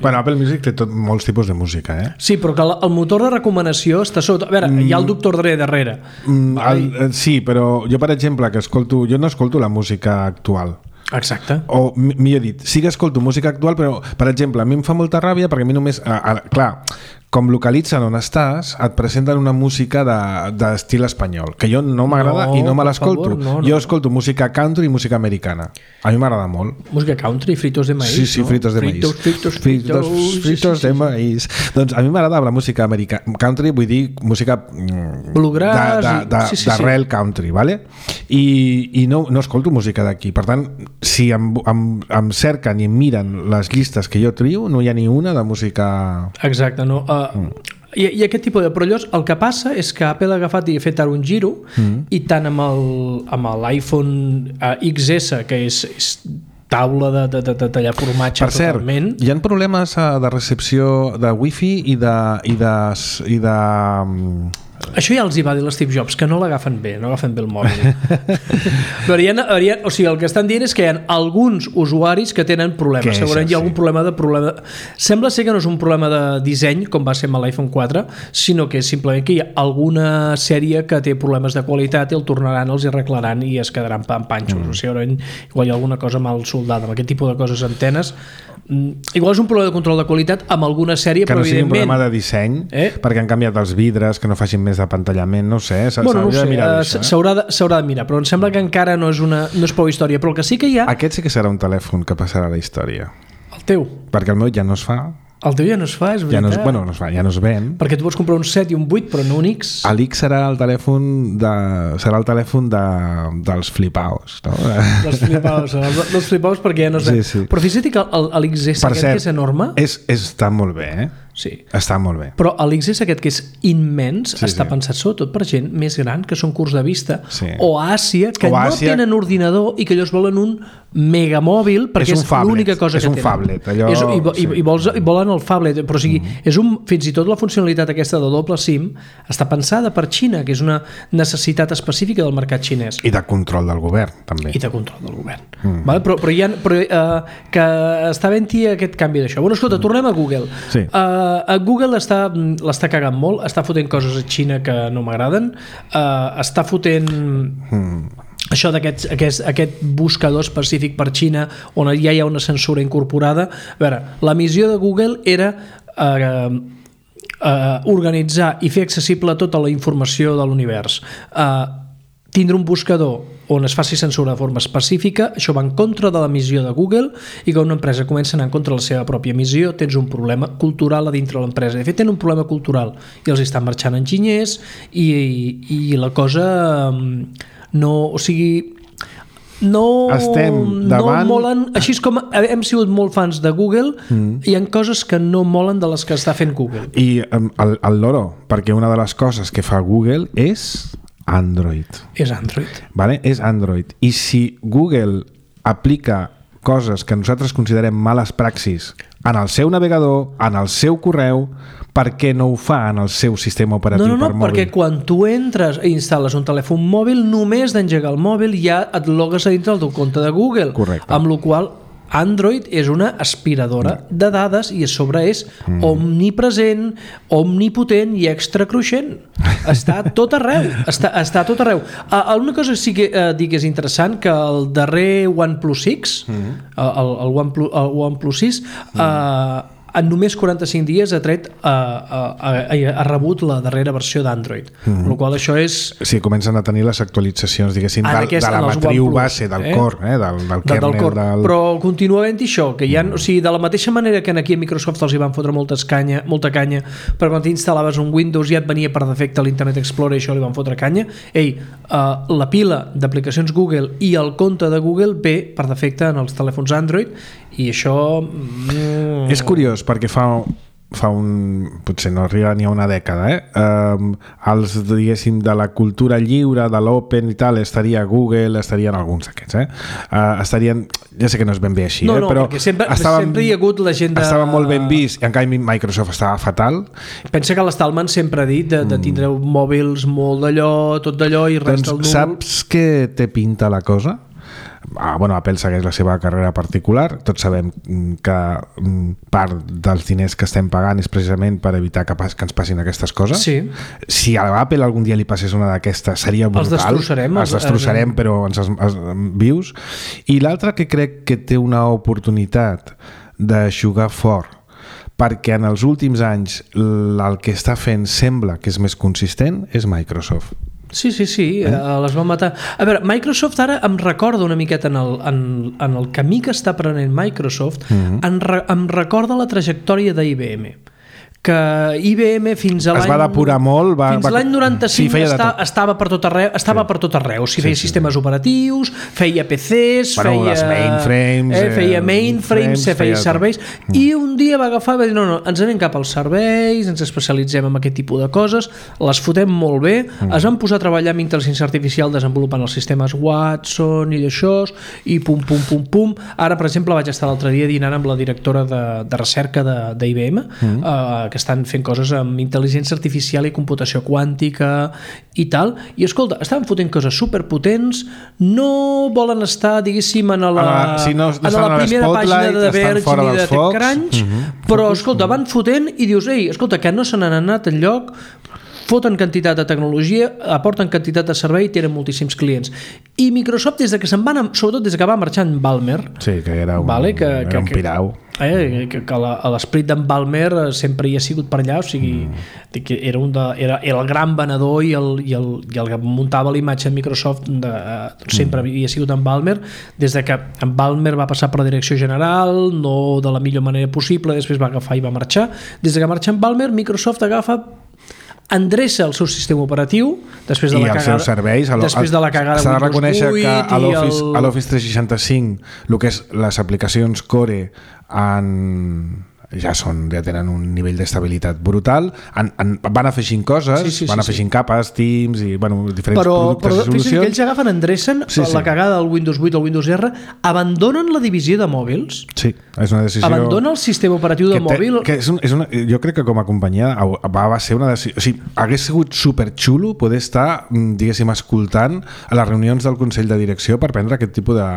Bueno, Apple Music té tot, molts tipus de música, eh? Sí, però que el, el motor de recomanació està sota... A veure, mm. hi ha el doctor Dre darrere. Mm, el, sí, però jo, per exemple, que escolto... Jo no escolto la música actual. Exacte. O, millor dit, sí que escolto música actual, però, per exemple, a mi em fa molta ràbia perquè a mi només... A, a, clar, com localitzen on estàs, et presenten una música d'estil de, espanyol, que jo no m'agrada no, i no me l'escolto. No, no. Jo escolto música country i música americana. A mi m'agrada molt. Música country, fritos de maíz, Sí, sí, no? fritos de fritos, maíz. Fritos, fritos, fritos, fritos de maíz. Doncs a mi m'agrada la música americana. Country, vull dir música bluegrass, d'arrel sí, sí, sí. country, vale? I, i no, no escolto música d'aquí. Per tant, si em, em, em cerquen i em miren les llistes que jo trio, no hi ha ni una de música... Exacte, no... Uh, Mm. I, i aquest tipus de... Però llavors el que passa és que Apple ha agafat i ha fet ara un giro mm. i tant amb el, amb l'iPhone uh, X S, que és, és taula de, de, de, de tallar formatge per cert, totalment. Hi ha problemes uh, de recepció de Wi-Fi i de... I de, i de um... Això ja els hi va dir l'Steve Jobs, que no l'agafen bé, no agafen bé el mòbil. Però hi ha, hi ha, o sigui, el que estan dient és que hi ha alguns usuaris que tenen problemes. Segurament hi ha algun problema de problema... Sembla ser que no és un problema de disseny, com va ser amb l'iPhone quatre, sinó que és simplement que hi ha alguna sèrie que té problemes de qualitat i el tornaran, els hi arreglaran i es quedaran en panxos. Mm. O sigui, igual hi ha alguna cosa mal soldada. Amb aquest tipus de coses antenes... Igual és un problema de control de qualitat amb alguna sèrie, que però no sigui evidentment... un problema de disseny, eh? Perquè han canviat els vidres, que no facin més de pantallament, no ho sé, s'haurà bueno, no de mirar uh, això. S'haurà de, s'haurà de mirar, però em sembla que encara no és, una, no és prou història, però el que sí que hi ha... Aquest sí que serà un telèfon que passarà a la història. El teu? Perquè el meu ja no es fa. El teu ja no es fa, és veritat. Ja no es, bueno, no es fa, ja no es ven. Perquè tu pots comprar un set i un vuit, però no un X. L'X serà el telèfon de, serà el telèfon de, dels flipaos, no? Dels flipaos, dels flipaos perquè ja no es ven. Sí, sí. Però fixa't que l'X S aquest cert, que és enorme... És, és, està molt bé, eh? Sí. Està molt bé. Però l'X S aquest que és immens sí, està sí. pensat sobretot per gent més gran que són curts de vista sí. o a Àsia que o no Àsia... tenen ordinador i que ells volen un megamòbil perquè és, és l'única cosa és que un tenen. Phablet, allò... És, i, i, i, vols, i volen el phablet, però o sigui, mm. és un, fins i tot la funcionalitat aquesta de doble SIM està pensada per Xina, que és una necessitat específica del mercat xinès. I de control del govern, també. I de control del govern. Mm. Vale? Però, però, hi ha, però uh, que està ben-hi aquest canvi d'això. Bueno, escolta, mm. tornem a Google. Sí. Uh, Google està, l'està cagant molt, està fotent coses a Xina que no m'agraden, uh, està fotent... Mm. Això d'aquest aquest, aquest buscador específic per Xina on ja hi ha una censura incorporada. A veure, la missió de Google era eh, eh, organitzar i fer accessible tota la informació de l'univers. Eh, tindre un buscador on es faci censura de forma específica, això va en contra de la missió de Google, i que una empresa comença a anar en contra de la seva pròpia missió, tens un problema cultural a dintre de l'empresa. De fet, tenen un problema cultural i els estan marxant enginyers i, i, i la cosa... no, o sigui no, no molen, així com hem sigut molt fans de Google, mm. hi ha coses que no molen de les que està fent Google. I um, el, el loro, perquè una de les coses que fa Google és Android. És Android. Vale? És Android. I si Google aplica coses que nosaltres considerem males praxis en el seu navegador, en el seu correu, per què no ho fa en el seu sistema operatiu no, no, no, per mòbil? perquè quan tu entres i instal·les un telèfon mòbil, només d'engegar el mòbil ja et logues a dintre del teu compte de Google. Correcte. Amb la qual Android és una aspiradora mm. de dades i a sobre és mm. omnipresent, omnipotent i extracruixent. Està tot arreu. Està, està tot arreu. Uh, una cosa sí que uh, dic és interessant, que el darrer OnePlus sis, mm. el, el, OnePlus, el OnePlus sis, mm. uh, en només quaranta-cinc dies ha tret uh, uh, ha, ha rebut la darrera versió d'Android, mm-hmm. el qual això és... Sí, comencen a tenir les actualitzacions, diguéssim, de, aquest, de la matriu OnePlus, base, del eh? core, eh? del, del kernel. Del core. Del... Però continua havent-hi això, que hi ha, mm. o sigui, de la mateixa manera que aquí a Microsoft els hi van fotre moltes canya, molta canya, però quan t'instal·laves un Windows ja et venia per defecte l'Internet Explorer i això li van fotre canya. Ei, uh, la pila d'aplicacions Google i el compte de Google ve per defecte en els telèfons Android i això... Mm... És curiós, perquè fa, fa un... potser no arriba ni a una dècada, eh? Um, els, diguéssim, de la cultura lliure, de l'open i tal, estaria Google, estarien alguns d'aquests, eh? Uh, estarien... Ja sé que no és ben bé així, no, eh? no, però sempre, estàvem, sempre hi ha hagut la gent de... Estava molt ben vist, i en canvi Microsoft estava fatal. Pensa que l'Stallman sempre ha dit de, de tindre mòbils molt d'allò, tot d'allò i res doncs, del número. Saps què té pinta la cosa? Ah, bueno, Apple segueix la seva carrera particular, tots sabem que part dels diners que estem pagant és precisament per evitar que, pas, que ens passin aquestes coses. Sí. Si a Apple algun dia li passés una d'aquestes seria brutal. Els destrossarem. Els destrossarem, però ens els, els, vius. I l'altre que crec que té una oportunitat de jugar fort, perquè en els últims anys el que està fent sembla que és més consistent, és Microsoft. Sí, sí, sí, eh? les van matar. A veure, Microsoft ara em recorda una miqueta en el, en, en el camí que està prenent Microsoft, mm-hmm. em, re, em recorda la trajectòria d'I B M, que I B M fins a l'any... Es va depurar molt... Va, fins a l'any noranta-cinc sí, està, estava per tot arreu, estava sí. per tot arreu. O sigui, feia sí, sí. sistemes operatius, feia P Cs, bueno, feia... les mainframes... Eh, feia mainframes, feia, feia serveis... Mm. I un dia va agafar i va dir, no, no, ens anem cap als serveis, ens especialitzem en aquest tipus de coses, les fotem molt bé, mm. es van posar a treballar amb intel·ligència artificial desenvolupant els sistemes Watson i d'això, i pum, pum, pum, pum. Ara, per exemple, vaig estar l'altre dia dinant amb la directora de, de recerca d'I B M, mm. eh, que estan fent coses amb intel·ligència artificial i computació quàntica i tal, i escolta, estaven fotent coses superpotents, no volen estar, diguéssim, en la, ah, si no, no en la primera pàgina de Verge ni de TechCrunch, uh-huh. però escolta, van fotent i dius, ei, escolta, que no se n'han anat enlloc, foten quantitat de tecnologia, aporten quantitat de servei i tenen moltíssims clients. I Microsoft, des de que se'n van, sobretot des que va marxar en Balmer, sí, que era un, vale, que, era que, un pirau, eh, que, que l'esperit d'en Balmer sempre hi ha sigut per allà, o sigui, mm. que era, un de, era, era el gran venedor i el, i el, i el que muntava la imatge de Microsoft de, sempre mm. havia sigut en Balmer, des de que en Balmer va passar per la direcció general, no de la millor manera possible, després va agafar i va marxar. Des de que marxa en Balmer, Microsoft agafa endreça el seu sistema operatiu després de i la cagada, els seus serveis després de la cagada s'ha de reconèixer que a l'Office el... a l'Office tres seixanta-cinc el que és les aplicacions Core en ja són, ja tenen un nivell d'estabilitat brutal, en, en, van afegint coses, sí, sí, van afegint sí, capes, Teams i bueno, diferents però, productes però, i solucions. Però que ells agafen, endrecen sí, sí. la cagada del Windows vuit o el Windows R, abandonen la divisió de mòbils, sí, és una decisió abandona el sistema operatiu de que mòbil té, que és un, és una, jo crec que com a companyia va, va ser una decisió, o sigui, hagués sigut superxulo poder estar, diguéssim, escoltant a les reunions del Consell de Direcció per prendre aquest tipus de...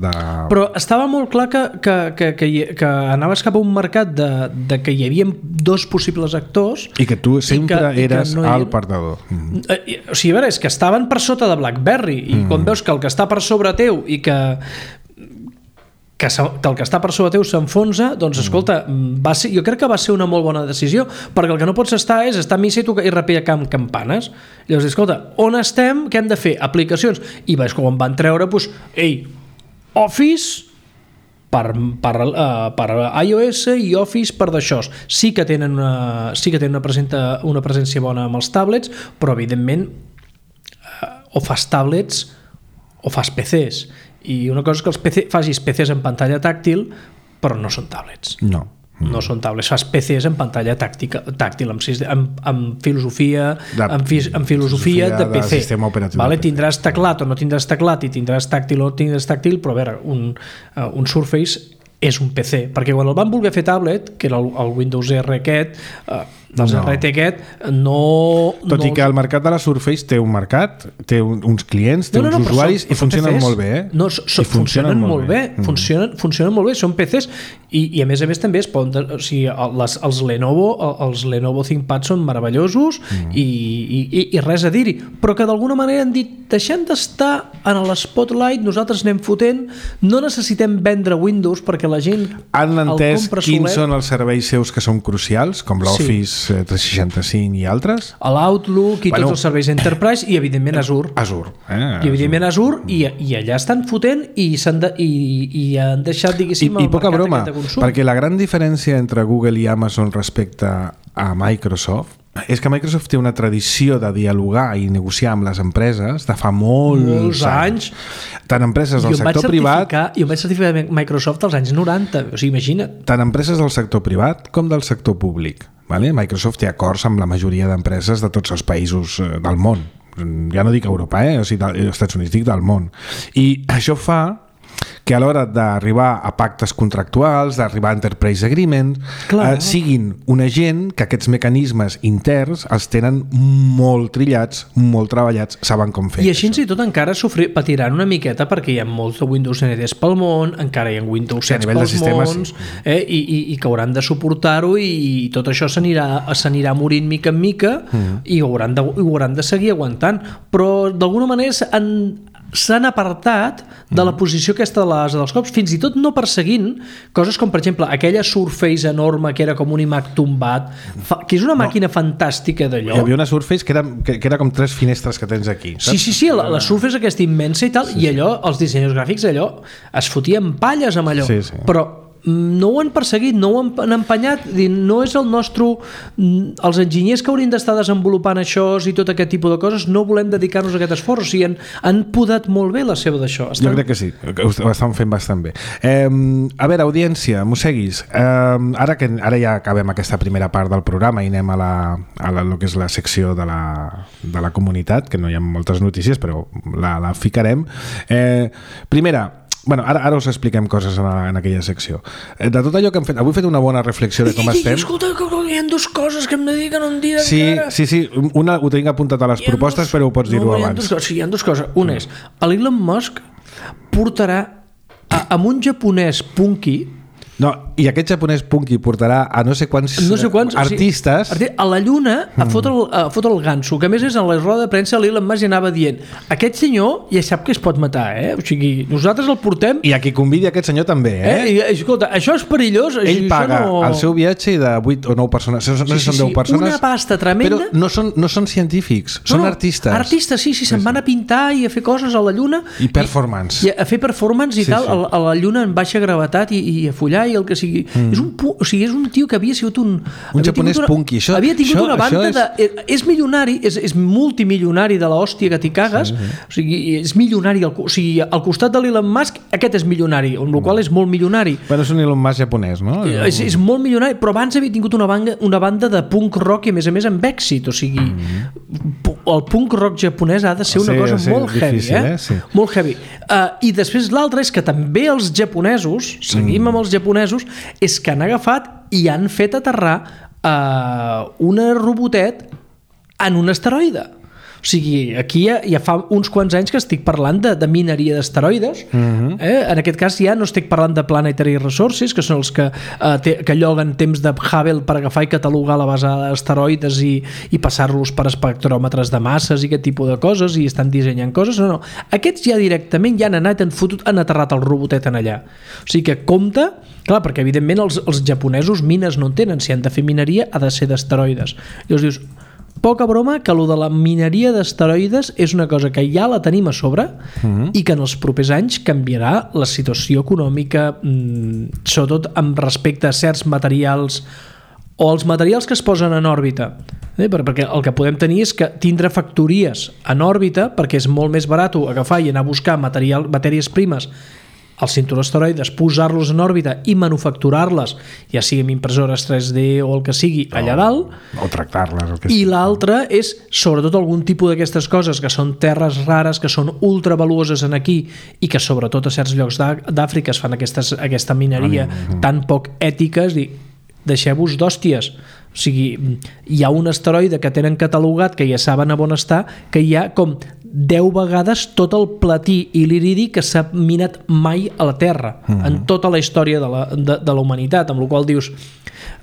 de... Però estava molt clar que, que, que, que, que anaves cap a un mercat de, de que hi hi havia dos possibles actors i que tu sempre que, eres no el perdedor. Mm-hmm. O sigui, a veure, és que estaven per sota de BlackBerry i mm. quan veus que el que està per sobre teu i que que, que el que està per sobre teu s'enfonsa, doncs escolta, va ser, jo crec que va ser una molt bona decisió, perquè el que no pots estar és estar a missa i, i repiar camp campanes. Llavors, escolta, on estem? Què hem de fer? Aplicacions. I veus quan van treure, doncs, ei, Office per, per, uh, per iOS i Office per d'això. Sí que tenen una, sí que tenen una, presenta, una presència bona amb els tablets, però evidentment uh, o fas tablets o fas P Cs. I una cosa és que els P C, facis P Cs en pantalla tàctil, però no són tablets. No. No són tablets, fas P Cs en pantalla tàctica, tàctil, amb, amb, amb filosofia de, amb, fi, amb filosofia, filosofia de P C. De vale? de tindràs teclat o no tindràs teclat i tindràs tàctil o no tindràs tàctil, però a veure, un, uh, un Surface és un P C, perquè quan el van voler fer tablet, que era el, el Windows R aquest, eh, dels no. R T aquest, no... Tot no... i que el mercat de la Surface té un mercat, té un, uns clients, té no, no, no, uns usuaris són, i funcionen P Cs. molt bé. Eh? No, so, so, funcionen, funcionen molt bé, bé. Mm. Funcionen, funcionen molt bé, són P Cs i, i a més a més també es poden, o sigui, les, els Lenovo els Lenovo ThinkPad són meravellosos mm. i, i, i res a dir-hi, però que d'alguna manera han dit, deixem d'estar en l'Spotlight, nosaltres anem fotent, no necessitem vendre Windows perquè la gent han entès quins solet. Són els serveis seus que són crucials, com l'Office sí. tres seixanta-cinc i altres, l'Outlook i bueno, tots els serveis Enterprise i evidentment Azure Azure, eh? i evidentment Azure, Azure i, i allà estan fotent i, de, i, i han deixat diguéssim I, i el poca mercat broma, de consum, perquè la gran diferència entre Google i Amazon respecte a Microsoft és que Microsoft té una tradició de dialogar i negociar amb les empreses de fa molts, molts anys. anys tant empreses del sector privat jo em vaig certificar Microsoft als anys noranta, o sigui, imagina't, tant empreses del sector privat com del sector públic, vale? Microsoft té acords amb la majoria d'empreses de tots els països del món, ja no dic Europa, eh? O sigui, dels Estats Units, dic del món, i això fa que a l'hora d'arribar a pactes contractuals, d'arribar a enterprise agreement, eh, siguin una gent que aquests mecanismes interns els tenen molt trillats, molt treballats, saben com fer. I així i tot encara sofrir, patiran una miqueta perquè hi ha molts de Windows N Ts pel món, encara hi ha Windows set pels sistemes, mons, eh, i, i, i que hauran de suportar-ho i, i tot això s'anirà morint mica en mica mm. i ho hauran, de, ho hauran de seguir aguantant. Però d'alguna manera han s'han apartat de la posició aquesta de l'asa dels cops, fins i tot no perseguint coses com, per exemple, aquella Surface enorme que era com un iMac tombat, que és una màquina no. fantàstica d'allò. Hi havia una Surface que era, que, que era com tres finestres que tens aquí, saps? Sí, sí, sí, la, la Surface aquesta immensa i tal, sí, i allò, els dissenyadors gràfics allò, es fotien palles amb allò, sí, sí. però no ho han perseguit, no ho han empenyat, no és el nostre, els enginyers que haurien d'estar desenvolupant això i tot aquest tipus de coses, no volem dedicar-nos a aquest esforç, o sigui, han, han podat molt bé la seva d'això. Estan... Jo crec que sí, ho estan fent bastant bé. Eh, a veure, audiència, mosseguis, eh, ara que ara ja acabem aquesta primera part del programa i anem a la, a la, lo que és la secció de la, de la comunitat, que no hi ha moltes notícies, però la, la ficarem. Eh, primera, Bueno, ara, ara us expliquem coses en, en aquella secció. De tot allò que hem fet, avui he fet una bona reflexió de com ei, estem. Ei, escolta, hi ha dues coses que hem de dir que no em diran sí, encara. Sí, sí, una ho tinc apuntat a les propostes, dos, però ho pots dir-ho no, abans. Dos, sí, hi ha dues coses. Una és, l'Elon Musk portarà a, amb un japonès punky. No, i aquest japonès punky portarà a no sé quants, no sé quants artistes o sigui, a la Lluna a fotre el, a fotre el ganso, que a més és en la roda de premsa l'Elon Musk ja anava dient aquest senyor ja sap que es pot matar, eh? O sigui, nosaltres el portem i a qui convidi aquest senyor també, eh? eh? I, escolta, això és perillós. Ell paga no... el seu viatge de vuit o nou persones, no sé si sí, sí, són deu sí. persones, una pasta tremenda, però no són, no són científics, no, són no, artistes artistes, sí, sí, se'n sí, van a pintar i a fer coses a la Lluna i performance i, i a fer performance i sí, tal, sí. A, a la Lluna en baixa gravetat i, i a follar i el que sigui mm. és, un, o sigui, és un tio que havia sigut un un japonès una, punky això, havia tingut això, una banda és... de és milionari, és, és multimilionari de l'hòstia que t'hi cagues, sí, sí. O sigui, és milionari, o sigui, al costat de l'Elon Musk aquest és milionari, amb la qual és molt milionari. Bueno, és un Elon Musk japonès, no? És, és molt milionari, però abans havia tingut una banda, una banda de punk rock i a més a més amb èxit, o sigui mm-hmm. el punk rock japonès ha de ser una sí, cosa sí, molt difícil, heavy, eh? eh? Sí. Molt heavy. Uh, I després l'altre és que també els japonesos, seguim mm. amb els japonesos, és que han agafat i han fet aterrar uh, una robotet en un asteroide. O sigui, aquí ja, ja fa uns quants anys que estic parlant de, de mineria d'asteroides. Uh-huh. eh? En aquest cas ja no estic parlant de Planetary Resources, que són els que, uh, te, que lloguen temps de Hubble per agafar i catalogar la base d'asteroides i, i passar-los per espectròmetres de masses i aquest tipus de coses i estan dissenyant coses. No, no. Aquests ja directament ja han anat, han, fotut, han aterrat el robotet en allà. O sigui que compte, clar, perquè evidentment els, els japonesos mines no en tenen. Si han de fer mineria ha de ser d'asteroides. Llavors dius, poca broma que lo de la mineria d'asteroides és una cosa que ja la tenim a sobre uh-huh. i que en els propers anys canviarà la situació econòmica, mmm, sobretot amb respecte a certs materials o els materials que es posen en òrbita. Eh? Perquè el que podem tenir és que tindre factories en òrbita perquè és molt més barat agafar i anar a buscar material, matèries primes els cinturons asteroides, posar-los en òrbita i manufacturar-les, ja sigui amb impressores tres D o el que sigui, allà dalt. O tractar-les. El que I l'altre és, sobretot, algun tipus d'aquestes coses que són terres rares, que són ultravaluoses en aquí i que, sobretot, a certs llocs d'Àfrica es fan aquestes, aquesta mineria mm-hmm. tan poc ètica, és dir, deixeu-vos d'hòsties. O sigui, hi ha un asteroide que tenen catalogat, que ja saben a on està, que hi ha com deu vegades tot el platí i l'iridi que s'ha minat mai a la Terra, mm-hmm. en tota la història de la, de, de la humanitat, amb la qual dius,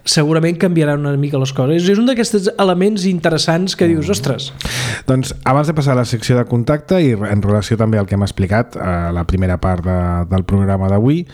segurament canviaran una mica les coses. És un d'aquests elements interessants que dius, ostres. Doncs abans de passar a la secció de contacte i en relació també al que hem explicat a la primera part de, del programa d'avui,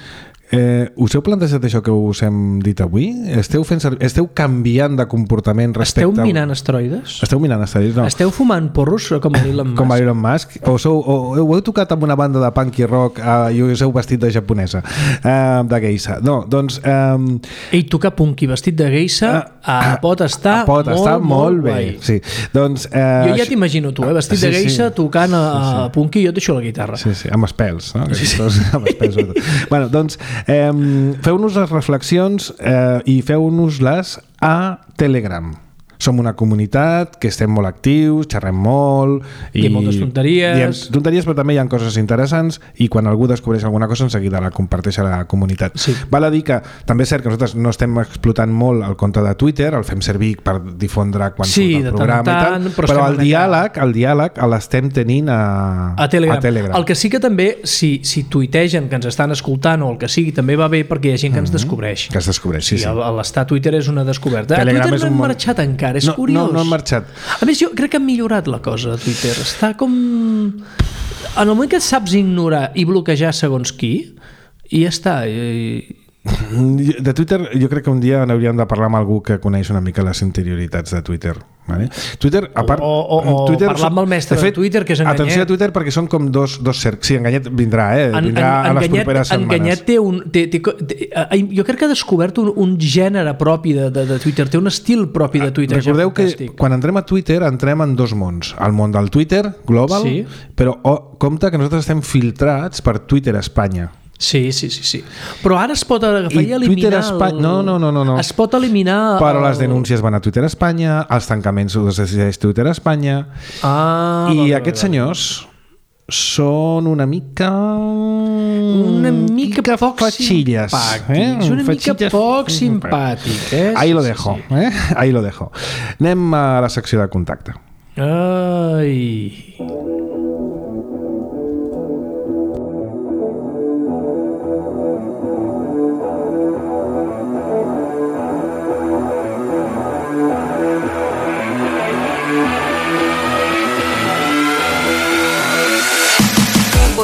Eh, us heu plantejat això que us hem dit avui? Esteu, fent servir, esteu canviant de comportament respecte... Esteu minant asteroides? Esteu minant asteroides, no. Esteu fumant porros com a Elon Musk? Com a Elon Musk? O, sou, o, o heu tocat amb una banda de punk i rock uh, i us heu vestit de japonesa, uh, de geisha? No, doncs... Um, Ell tocar punk i vestit de geisha uh, uh, pot estar, uh, pot molt, estar molt, molt bé. Guai. Sí. Doncs, uh, jo ja t'imagino tu, eh? vestit sí, de geisha, sí. tocant a, sí, sí. a punk i jo et deixo la guitarra. Sí, sí, amb espels, no? Sí, sí. Amb espels, bueno, doncs... Um, feu-nos les reflexions eh, i feu-nos-les a Telegram. Som una comunitat que estem molt actius, xerrem molt i diem moltes tonteries diem tonteries, però també hi ha coses interessants i quan algú descobreix alguna cosa en seguida la comparteix a la comunitat. Sí. Val a dir que també és cert que nosaltres no estem explotant molt el compte de Twitter, el fem servir per difondre quan sí, surt el programa tant, i tal, però, però el diàleg, el diàleg l'estem tenint a, a, Telegram. a Telegram. El que sí que també, si, si tuitegen que ens estan escoltant o el que sigui, també va bé perquè hi ha gent que ens descobreix. Que es descobreix, sí, sí. sí. L'estar a Twitter és una descoberta. Telegram a Twitter no hem un... marxat encara, és no, curiós. No, no hem marxat. A més, jo crec que ha millorat la cosa a Twitter. Està com... En el moment que saps ignorar i bloquejar segons qui, i ja està. I... De Twitter jo crec que un dia n'hauríem de parlar amb algú que coneix una mica les interioritats de Twitter. Vale? Twitter, a part, o o, o Twitter, parlar amb el mestre de, fet, de Twitter, que és Enganyet. Atenció a Twitter perquè són com dos, dos cercs. Sí, Enganyet vindrà, eh? Vindrà en, en, a les Enganyet, properes setmanes. Enganyet té un... Té, té, té, jo crec que ha descobert un, un gènere propi de, de, de Twitter, té un estil propi de Twitter. Recordeu que quan entrem a Twitter entrem en dos mons. El món del Twitter global, sí. però oh, compte que nosaltres estem filtrats per Twitter Espanya. Sí, sí, sí, sí. Però ara es pot agafar i, I eliminar... Espa... El... No, no, no, no, no. Es pot eliminar... Però el... les denúncies van a Twitter Espanya, els tancaments els decideix Twitter Espanya, ah, i vale, aquests vale. senyors són una mica... Una mica mica poc fatxilles. simpàtics. Eh? Una mica poc simpàtics. Eh? Ahí lo sí, dejo. sí. Eh? Ahí lo dejo. Anem a la secció de contacte. Ai...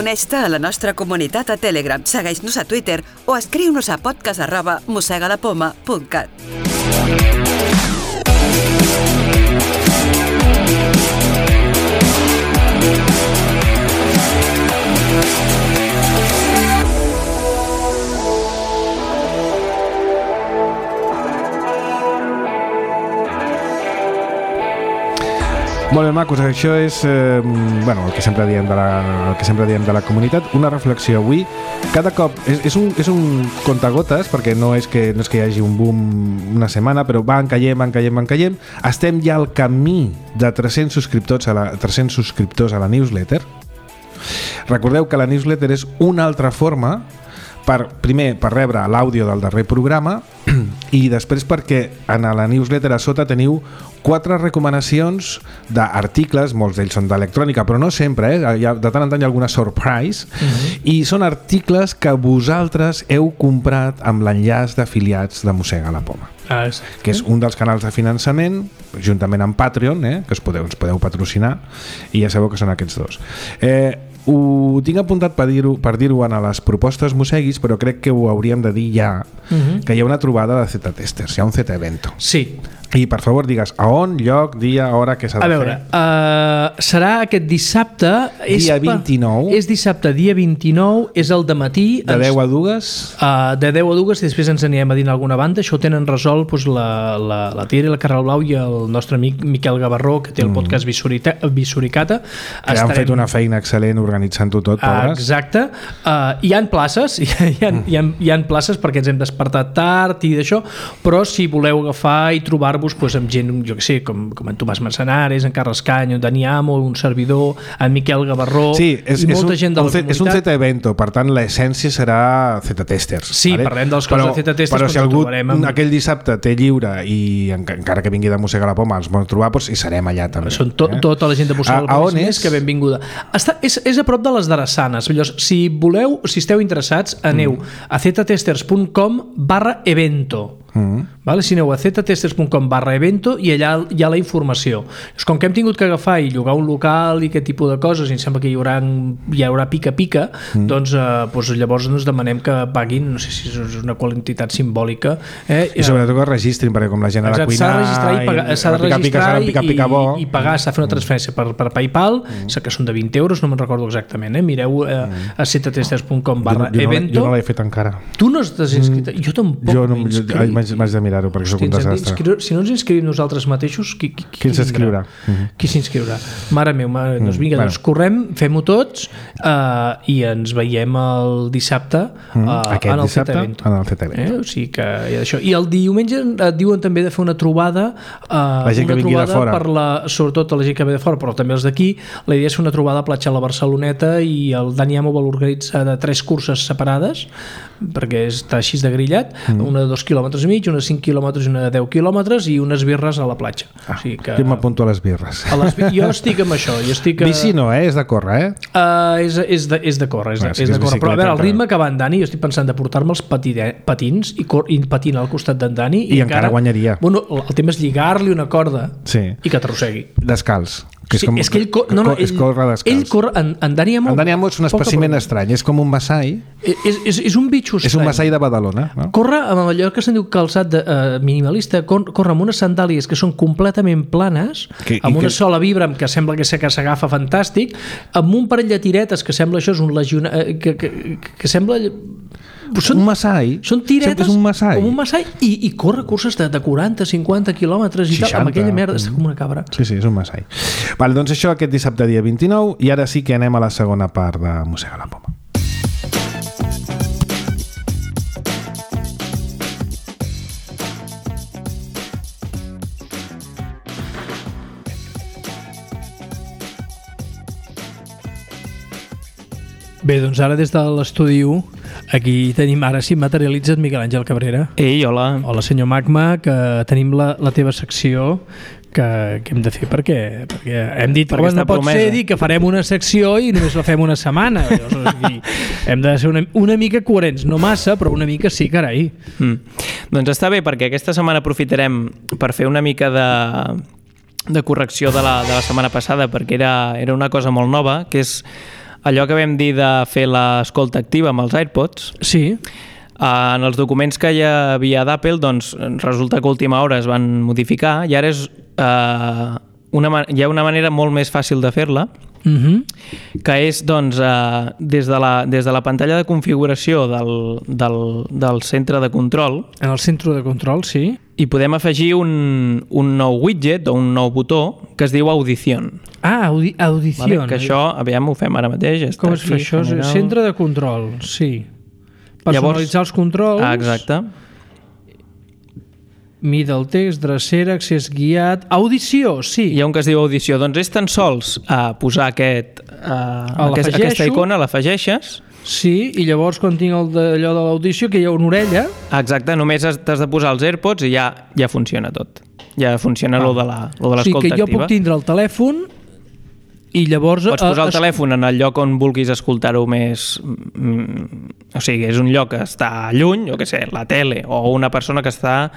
Uneix-te a la nostra comunitat a Telegram, segueix-nos a Twitter o escriu-nos a podcast arroba mossegalapoma punt cat. Molt bé, macos, això és eh, bueno, el que sempre diem de la, el que sempre diem de la comunitat, una reflexió avui. Cada cop és, és, un, és un contagotes, perquè no és, que, no és que hi hagi un boom una setmana, però van caient, van caient, van caient. Estem ja al camí de tres-cents subscriptors a la, tres-cents subscriptors a la newsletter. Recordeu que la newsletter és una altra forma per, primer, per rebre l'àudio del darrer programa i després perquè en la newsletter a sota teniu quatre recomanacions d'articles, molts d'ells són d'electrònica, però no sempre, eh? Hi ha, de tant en tant hi ha alguna surprise, uh-huh. i són articles que vosaltres heu comprat amb l'enllaç d'afiliats de Mossega la Poma. Ah, que és un dels canals de finançament, juntament amb Patreon, eh? que us podeu, ens podeu patrocinar, i ja sabeu que són aquests dos. Eh, ho tinc apuntat per dir-ho per dir-ho en les propostes mosseguis, però crec que ho hauríem de dir ja, uh-huh. que hi ha una trobada de Z-testers, hi ha un Z-evento. Sí, I per favor digues a on, lloc, dia, hora, què s'ha de fer. A veure, uh, serà aquest dissabte... Dia vint-i-nou. És dissabte, dia vint-i-nou, és el dematí. De deu a dues? Uh, de deu a dues, i després ens anirem a dir alguna banda. Això ho tenen resolt doncs, la, la, la Tia i la Carral Blau i el nostre amic Miquel Gavarró, que té el podcast Visurita, Visuricata. Que Estarem... han fet una feina excel·lent organitzant-ho tot, pobres. Exacte. Uh, hi han places, hi ha, hi, ha, hi, ha, hi ha places perquè ens hem despertat tard i d'això, però si voleu agafar i trobar-vos pues, amb gent, jo que sé, com, com en Tomàs Manzanares, en Carles Canyo, en Dani Amo, un servidor, en Miquel Gavarró, sí, és, i molta és un, gent de la un, comunitat. És un Z-evento, per tant l'essència serà Z-testers. Sí, vale? Parlem dels coses de Z-testers, però si algú amb... aquell dissabte té lliure i encara que vingui de Mossega la Poma ens vol trobar, doncs hi serem allà també. Són to, eh? Tota la gent de Mossega la Poma és? Que benvinguda. Està, és, és a prop de les Darassanes. Llavors, si voleu, si esteu interessats, aneu mm. a ztesters punt com barra evento. Mm. Vale? Si aneu a ztesters punt com barra evento i allà hi ha la informació. És com que hem tingut que agafar i llogar un local i aquest tipus de coses i em sembla que hi haurà, hi haurà pica-pica, mm. doncs, eh, doncs llavors ens demanem que paguin, no sé si és una quantitat simbòlica. Eh? I sobretot que es registrin, perquè com la gent ha de cuinar... S'ha de registrar i pagar, s'ha de registrar pica, pica, pica, i, i pagar, s'ha de fer una transferència per, per PayPal, mm. que són de vint euros, no me'n recordo exactament. Eh? Mireu eh, mm. a ztesters punt com barra jo no, jo evento. No, jo no l'he fet encara. Tu no t'has inscrit? Mm. Jo tampoc jo no, m'haig de mirar-ho perquè soc un desastre. Si no ens inscrivim nosaltres mateixos, qui, qui, qui, qui s'inscriurà? Qui s'inscriurà? Mare meva, mare, doncs vinga, doncs correm, fem-ho tots uh, i ens veiem el dissabte uh, Aquest en el dissabte Z-evento. En el Z-evento. Eh? O sigui que hi ha d'això. I el diumenge et diuen també de fer una trobada, uh, la gent una que vingui de fora. Per la, sobretot la gent que ve de fora, però també els d'aquí. La idea és fer una trobada a Platja a la Barceloneta i el Dani Amo vol organitzar de tres curses separades perquè està així de grillat, mm. una de dos quilòmetres i mig, una de cinc quilòmetres i una de deu quilòmetres i unes birres a la platja. Ah, o sigui que... Jo m'apunto a les birres. A les... Jo estic amb això. Jo estic a... Bici no, eh? És de córrer, eh? Uh, és, és, de, és de córrer, és de, ah, sí és de córrer. Però a veure, el ritme que va en Dani, jo estic pensant de portar-me els patine, patins i, cor, i patinar al costat d'en Dani. I, I encara, encara guanyaria. Bueno, el, el tema és lligar-li una corda sí. i que t'arrossegui. Descalç. Que és, sí, com, és que ell, cor, no, no, és ell, corre descalç. Ell corre, en, en Dani Amo... En Dani Amo és un espècimen estrany, és com un massai. És, és, és un bitxo estrany. És un massai de Badalona. No? Corre amb allò que se'n diu calçat de, uh, minimalista, corre amb unes sandàlies que són completament planes, que, amb una que... sola vibra que sembla que s'agafa fantàstic, amb un parell de tiretes que sembla això és un legionari, que, que, que, que sembla... Són, un massai. Són tiretes és un massai. com un massai i, i corre curses de, de quaranta, cinquanta quilòmetres i tal, amb aquella merda, està com una cabra. Sí, sí, és un massai. Vale, doncs això aquest dissabte dia vint-i-nou i ara sí que anem a la segona part de Mossega la Poma. Bé, doncs ara des de l'estudi u aquí tenim, ara sí materialitza't Miquel Àngel Cabrera. Ei, hola. Hola senyor Magma, que tenim la, la teva secció que, que hem de fer perquè, perquè hem dit que no pot promesa. Ser dir que farem una secció i només la fem una setmana. Llavors, aquí, hem de ser una, una mica coherents, no massa, però una mica sí, carai. Mm. Doncs està bé, perquè aquesta setmana aprofitarem per fer una mica de, de correcció de la, de la setmana passada, perquè era, era una cosa molt nova, que és allò que vam dir de fer l'escolta activa amb els AirPods. Sí. Uh, en els documents que hi havia d'Apple, doncs resulta que a última hora es van modificar i ara és, uh, una, hi ha una manera molt més fàcil de fer-la, uh-huh. que és doncs, uh, des, de la, des de la pantalla de configuració del, del, del centre de control. En el centre de control, sí. I podem afegir un, un nou widget o un nou botó que es diu Audición. Ah, audi Audición. Vale, que això, aviam, ho fem ara mateix. Com es fa això? General. Centre de control, sí. Personalitzar Llavors, els controls. Ah, exacte. Mida el text, drecera, accés guiat... Audició, sí. Hi ha un que es diu audició. Doncs és tan sols uh, posar aquest, uh, aquest, aquesta icona, l'afegeixes. Sí, i llavors quan tinc el d'allò de l'audició, que hi ha una orella... Exacte, només t'has de posar els AirPods i ja, ja funciona tot. Ja funciona ah. lo de l'escolta activa. O sigui que jo puc tindre el telèfon i llavors... Pots posar el es... telèfon en el lloc on vulguis escoltar-ho més... O sigui, és un lloc que està lluny, jo què sé, la tele, o una persona que està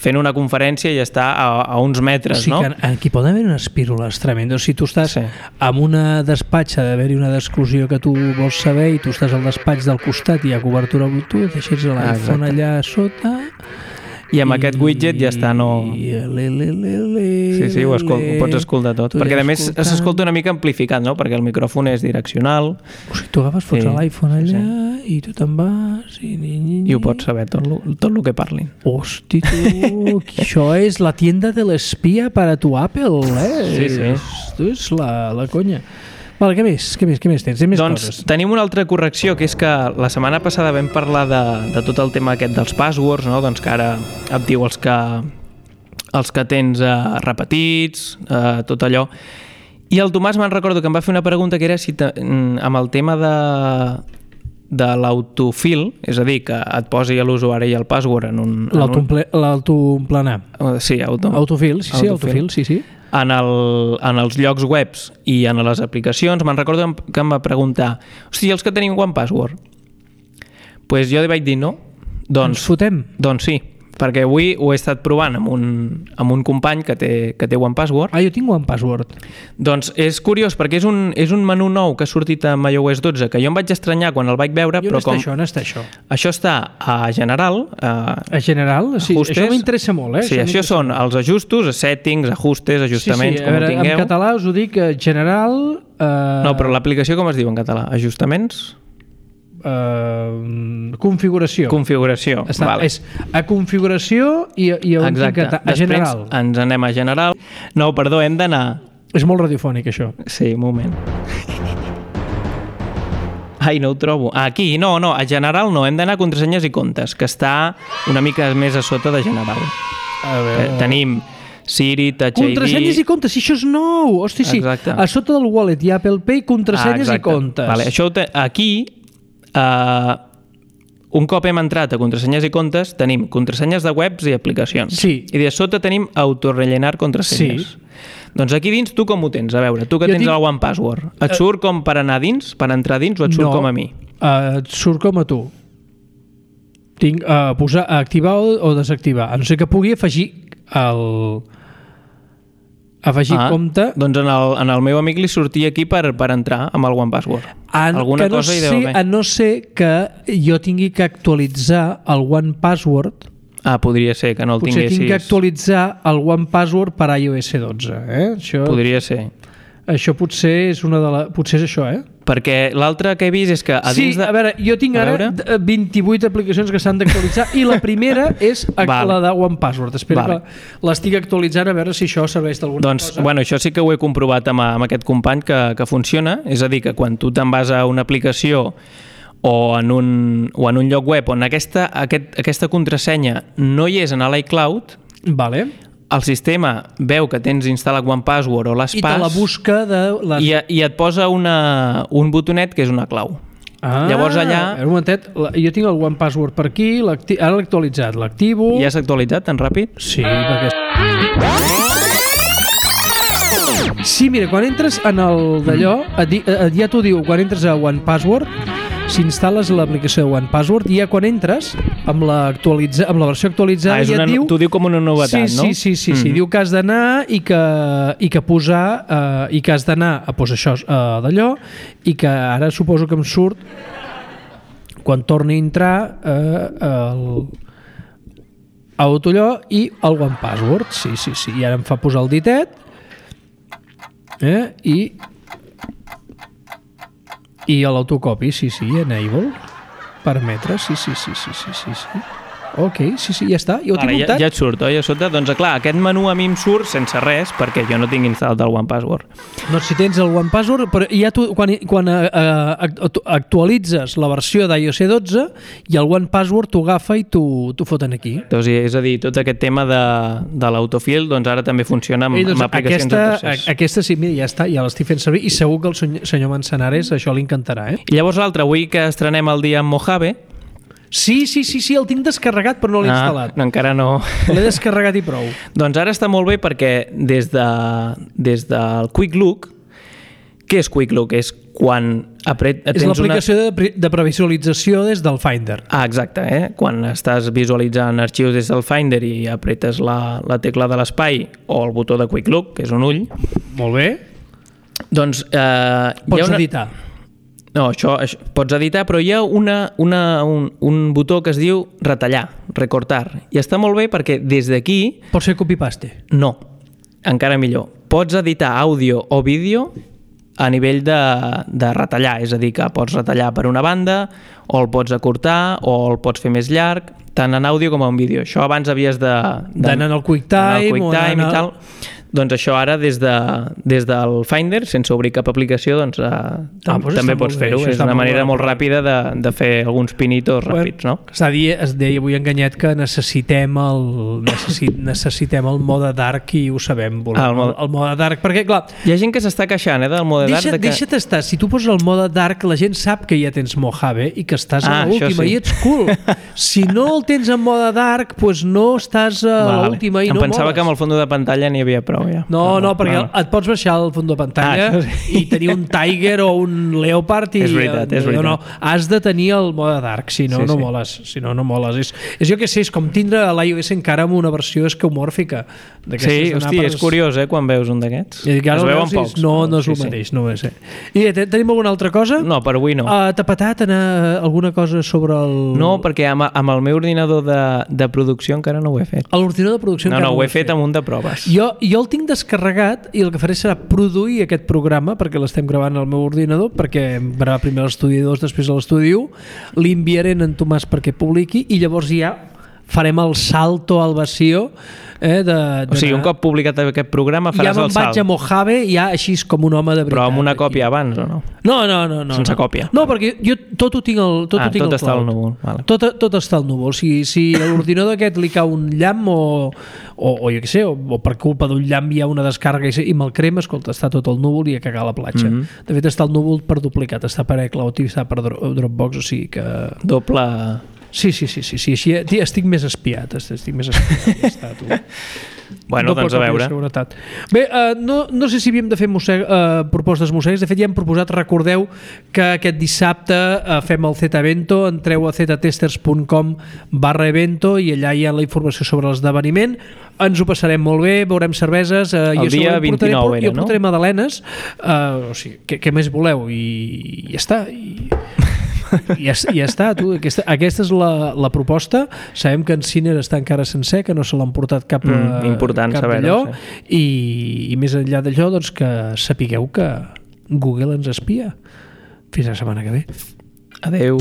fent una conferència i està a, a uns metres, o sigui, no? Que aquí poden haver unes pírules tremendes. Si tu estàs sí. amb una despatxa d'haver-hi una d'exclusió que tu vols saber i tu estàs al despatx del costat i hi ha cobertura Bluetooth, deixes l'iPhone allà sota I amb aquest widget ja està, no... Sí, sí, ho, escol... ho pots escoltar tot. Perquè a més s'escolta una mica amplificat, no? Perquè el micròfon és direccional. O sigui, tu agafes, fots sí, l'iPhone allà sí. i tu te'n vas... I, ni, ni, ni. I ho pots saber, tot el tot lo que parlin. Hosti, tu, això és la tienda de l'espia per a tu Apple, eh? Sí, sí. Esto és la, la conya. Vale, què més? Què més, què més tens? Més doncs coses. Tenim una altra correcció, que és que la setmana passada vam parlar de, de tot el tema aquest dels passwords, no? Doncs que ara et diu els que, els que tens eh, repetits, eh, tot allò. I el Tomàs me'n recordo que em va fer una pregunta que era si te, amb el tema de, de l'autofill, és a dir, que et posi l'usuari i el password en un... L'autoemplenar. Un... Sí, auto... autofill, sí, sí, autofill, sí, sí. En, el, en els llocs webs i en les aplicacions, me'n recordo que em va preguntar, hosti, els que tenim One Password? Doncs pues jo li vaig dir no. Doncs, Ens fotem? Doncs sí, perquè avui ho he estat provant amb un, amb un company que té, que té One Password. Ah, jo tinc One Password. Doncs és curiós, perquè és un, és un menú nou que ha sortit amb iOS dotze, que jo em vaig estranyar quan el vaig veure, jo però com... això, on està això? Això està a General. A, a General? Sí, ajustes. Això m'interessa molt, eh? Sí, això, això són els ajustos, settings, ajustos, ajustaments, sí, sí, com veure, ho tingueu. En català us ho dic, General... Uh... No, però l'aplicació com es diu en català? Ajustaments? Uh, configuració. Configuració, Està, vale. És a configuració i, i on Exacte. Tinc a, a General. Després ens anem a General. No, perdó, hem d'anar... És molt radiofònic, això. Sí, un moment. Ai, no ho trobo. Aquí, no, no, a General no, hem d'anar a contrasenyes i comptes, que està una mica més a sota de General. A veure... Tenim Siri, Touch I D... Contrasenyes i comptes, si això és nou! Hosti, sí. Exacte. A sota del wallet i Apple Pay, contrasenyes ah, i comptes. Vale, això te... aquí... Uh, un cop hem entrat a contrasenyes i comptes tenim contrasenyes de webs i aplicacions sí. i de sota tenim autorellenar contrasenyes sí. Doncs aquí dins tu com ho tens? A veure, tu que jo tens tinc... el One Password et surt com per anar dins, per entrar dins o et surt no, com a mi? Uh, et surt com a tu. Tinc a uh, posar a activar o, o desactivar, a no ser que pugui afegir el... afegir ah, compte... Doncs en el, en el meu amic li sortia aquí per, per entrar amb el One Password. En, Alguna no cosa sé, hi deu haver. A no ser que jo tingui que actualitzar el One Password. Ah, podria ser que no el Potser tinguessis. tinc que actualitzar el One Password per iOS dotze. Eh? Això, podria ser. Això potser és una de la... Potser és això, eh? Perquè l'altre que he vist és que a sí, dins de... a veure, jo tinc a ara veure? vint-i-vuit aplicacions que s'han d'actualitzar i la primera és vale. la de One Password. Espero vale. que l'estic actualitzant a veure si això serveix d'alguna doncs, cosa. Bueno, això sí que ho he comprovat amb, amb aquest company que, que funciona, és a dir, que quan tu te'n vas a una aplicació o en un, o en un lloc web on aquesta, aquest, aquesta contrasenya no hi és en l'iCloud, vale. el sistema veu que tens instal·lat One Password o l'has i te la busca de les... i, i et posa una, un botonet que és una clau. Ah, llavors allà... Un momentet, jo tinc el One Password per aquí, ara l'he actualitzat, l'activo... Ja s'ha actualitzat tan ràpid? Sí, perquè... Sí, mira, quan entres en el d'allò, ja t'ho diu, quan entres a One Password, si instal·les l'aplicació de One Password, i ja quan entres, amb la, actualitza, amb la versió actualitzada, ah, ja una, et diu... T'ho diu com una novetat, sí, no? Sí, sí, sí, mm. sí. Diu que has d'anar i que, i que posar... Eh, i que has d'anar a posar això eh, d'allò, i que ara suposo que em surt, quan torni a entrar, eh, el... autollò i el One Password. Sí, sí, sí. I ara em fa posar el ditet, eh, i... I l'autocopi, sí, sí, enable, permetre, sí, sí, sí, sí, sí, sí, sí. Ok, sí, sí, ja està, ja ho vale, tinc muntat. Ja, ja et surt, oi, a sota? Doncs clar, aquest menú a mi em surt sense res, perquè jo no tinc instal·lat el One Password. No, si tens el One Password, però ja tu, quan, quan uh, actualitzes la versió d'iOS dotze i el One Password t'ho agafa i t'ho foten aquí. Doncs, és a dir, tot aquest tema de, de l'autofill, doncs ara també funciona amb, Ei, doncs, amb aplicacions aquesta, de tercers. Aquesta sí, mira, ja està, ja l'estic fent servir i segur que el senyor, senyor Manzanares això li encantarà, eh? I llavors l'altre, avui que estrenem el dia amb Mojave... Sí, sí, sí, sí, el tinc descarregat però no l'he ah, instal·lat. No, encara no. L'he descarregat i prou. Doncs ara està molt bé perquè des, de, des del Quick Look, què és Quick Look? És quan apret, és l'aplicació una... de, de previsualització des del Finder. Ah, exacte, eh? Quan estàs visualitzant arxius des del Finder i apretes la, la tecla de l'espai o el botó de Quick Look, que és un ull. Molt bé. Doncs... Eh, pots hi ha una... editar. No, això, això pots editar, però hi ha una, una, un, un botó que es diu retallar, recortar, i està molt bé perquè des d'aquí... Pot ser copy-paste? No, encara millor. Pots editar àudio o vídeo a nivell de, de retallar, és a dir, que pots retallar per una banda, o el pots acortar, o el pots fer més llarg, tant en àudio com en vídeo. Això abans havies de... d'anar al QuickTime, o QuickTime i tal. Doncs això ara des, de, des del Finder, sense obrir cap aplicació, doncs, eh, tam ah, doncs també pots fer-ho. És una manera molt ràpida de, de fer alguns pinitos bueno, ràpids, no? Es deia, es deia avui enganyat que necessitem el, necessit, necessitem el mode dark i ho sabem, volem, ah, el, mode... el mode dark, perquè clar... Hi ha gent que s'està queixant eh, del mode deixa, dark. De que... Deixa't estar, si tu poses el mode dark, la gent sap que ja tens Mojave i que estàs ah, a l'última sí. i ets cool. Si no el tens en mode dark, doncs no estàs a vale. l'última i em no pensava moles. que amb el fons de pantalla n'hi havia prou, ja. No, no, perquè no. et pots baixar el fons de pantalla ah, sí. i tenir un Tiger o un Leopard i... És veritat, és veritat. No, no, has de tenir el mode dark, si no, sí, no sí. moles. Si no, no moles. És, és jo que sé, és com tindre l'iOS encara amb una versió esquemòrfica. Sí, hosti, per... és curiós, eh, quan veus un d'aquests. Es veuen pocs. No, no és el sí, mateix, sí. no és. Eh. I tenim alguna altra cosa? No, per avui no. Uh, T'ha patat anar alguna cosa sobre el... No, perquè amb, amb el meu ordinador de, de producció encara no ho he fet. A l'ordinador de producció no, encara no, no ho he fet, fet amb un de proves. Jo, jo el tinc descarregat i el que faré serà produir aquest programa, perquè l'estem gravant al meu ordinador, perquè gravar primer l'estudi dos, després l'estudi u, l'enviaré en Tomàs perquè publiqui i llavors ja farem el salto al vacío. Eh, de, de o sigui, un cop publicat aquest programa faràs ja el salt. Ja me'n vaig a Mojave ja així com un home de veritat. Però amb una còpia aquí. Abans o no? No, no, no. no Sense no. còpia? No, perquè jo tot ho tinc al tot ah, ho tinc tot al està cloud. al núvol. Vale. Tot, tot està al núvol. Si, si a l'ordinador aquest li cau un llamp o, o, o jo què sé, o, o per culpa d'un llamp hi ha una descàrrega i, i me'l crema, escolta, està tot al núvol i a cagar a la platja. Mm -hmm. De fet, està al núvol per duplicat, està per iCloud i està per Dropbox, o sigui que... Doble... Sí, sí, sí, sí, sí, sí. Estic més espiat, estic més espiat. Ja està, tu. Bueno, Doble doncs a veure. Bé, uh, no, no sé si havíem de fer mosseg, uh, propostes mossegues. De fet, ja hem proposat, recordeu que aquest dissabte uh, fem el Z-Evento, entreu a zetastesters punt com barra evento i allà hi ha la informació sobre l'esdeveniment. Ens ho passarem molt bé, veurem cerveses. Uh, el dia vint-i-nou era, no? Jo portaré magdalenes. Uh, o sigui, què, què més voleu? I, i ja està. I... I ja, ja està, tu. Aquesta, aquesta és la, la proposta. Sabem que en Ciner està encara sencer, que no se l'han portat cap, mm, important cap d'allò, sí. i, i més enllà d'allò, doncs que sapigueu que Google ens espia. Fins la setmana que ve. Adeu.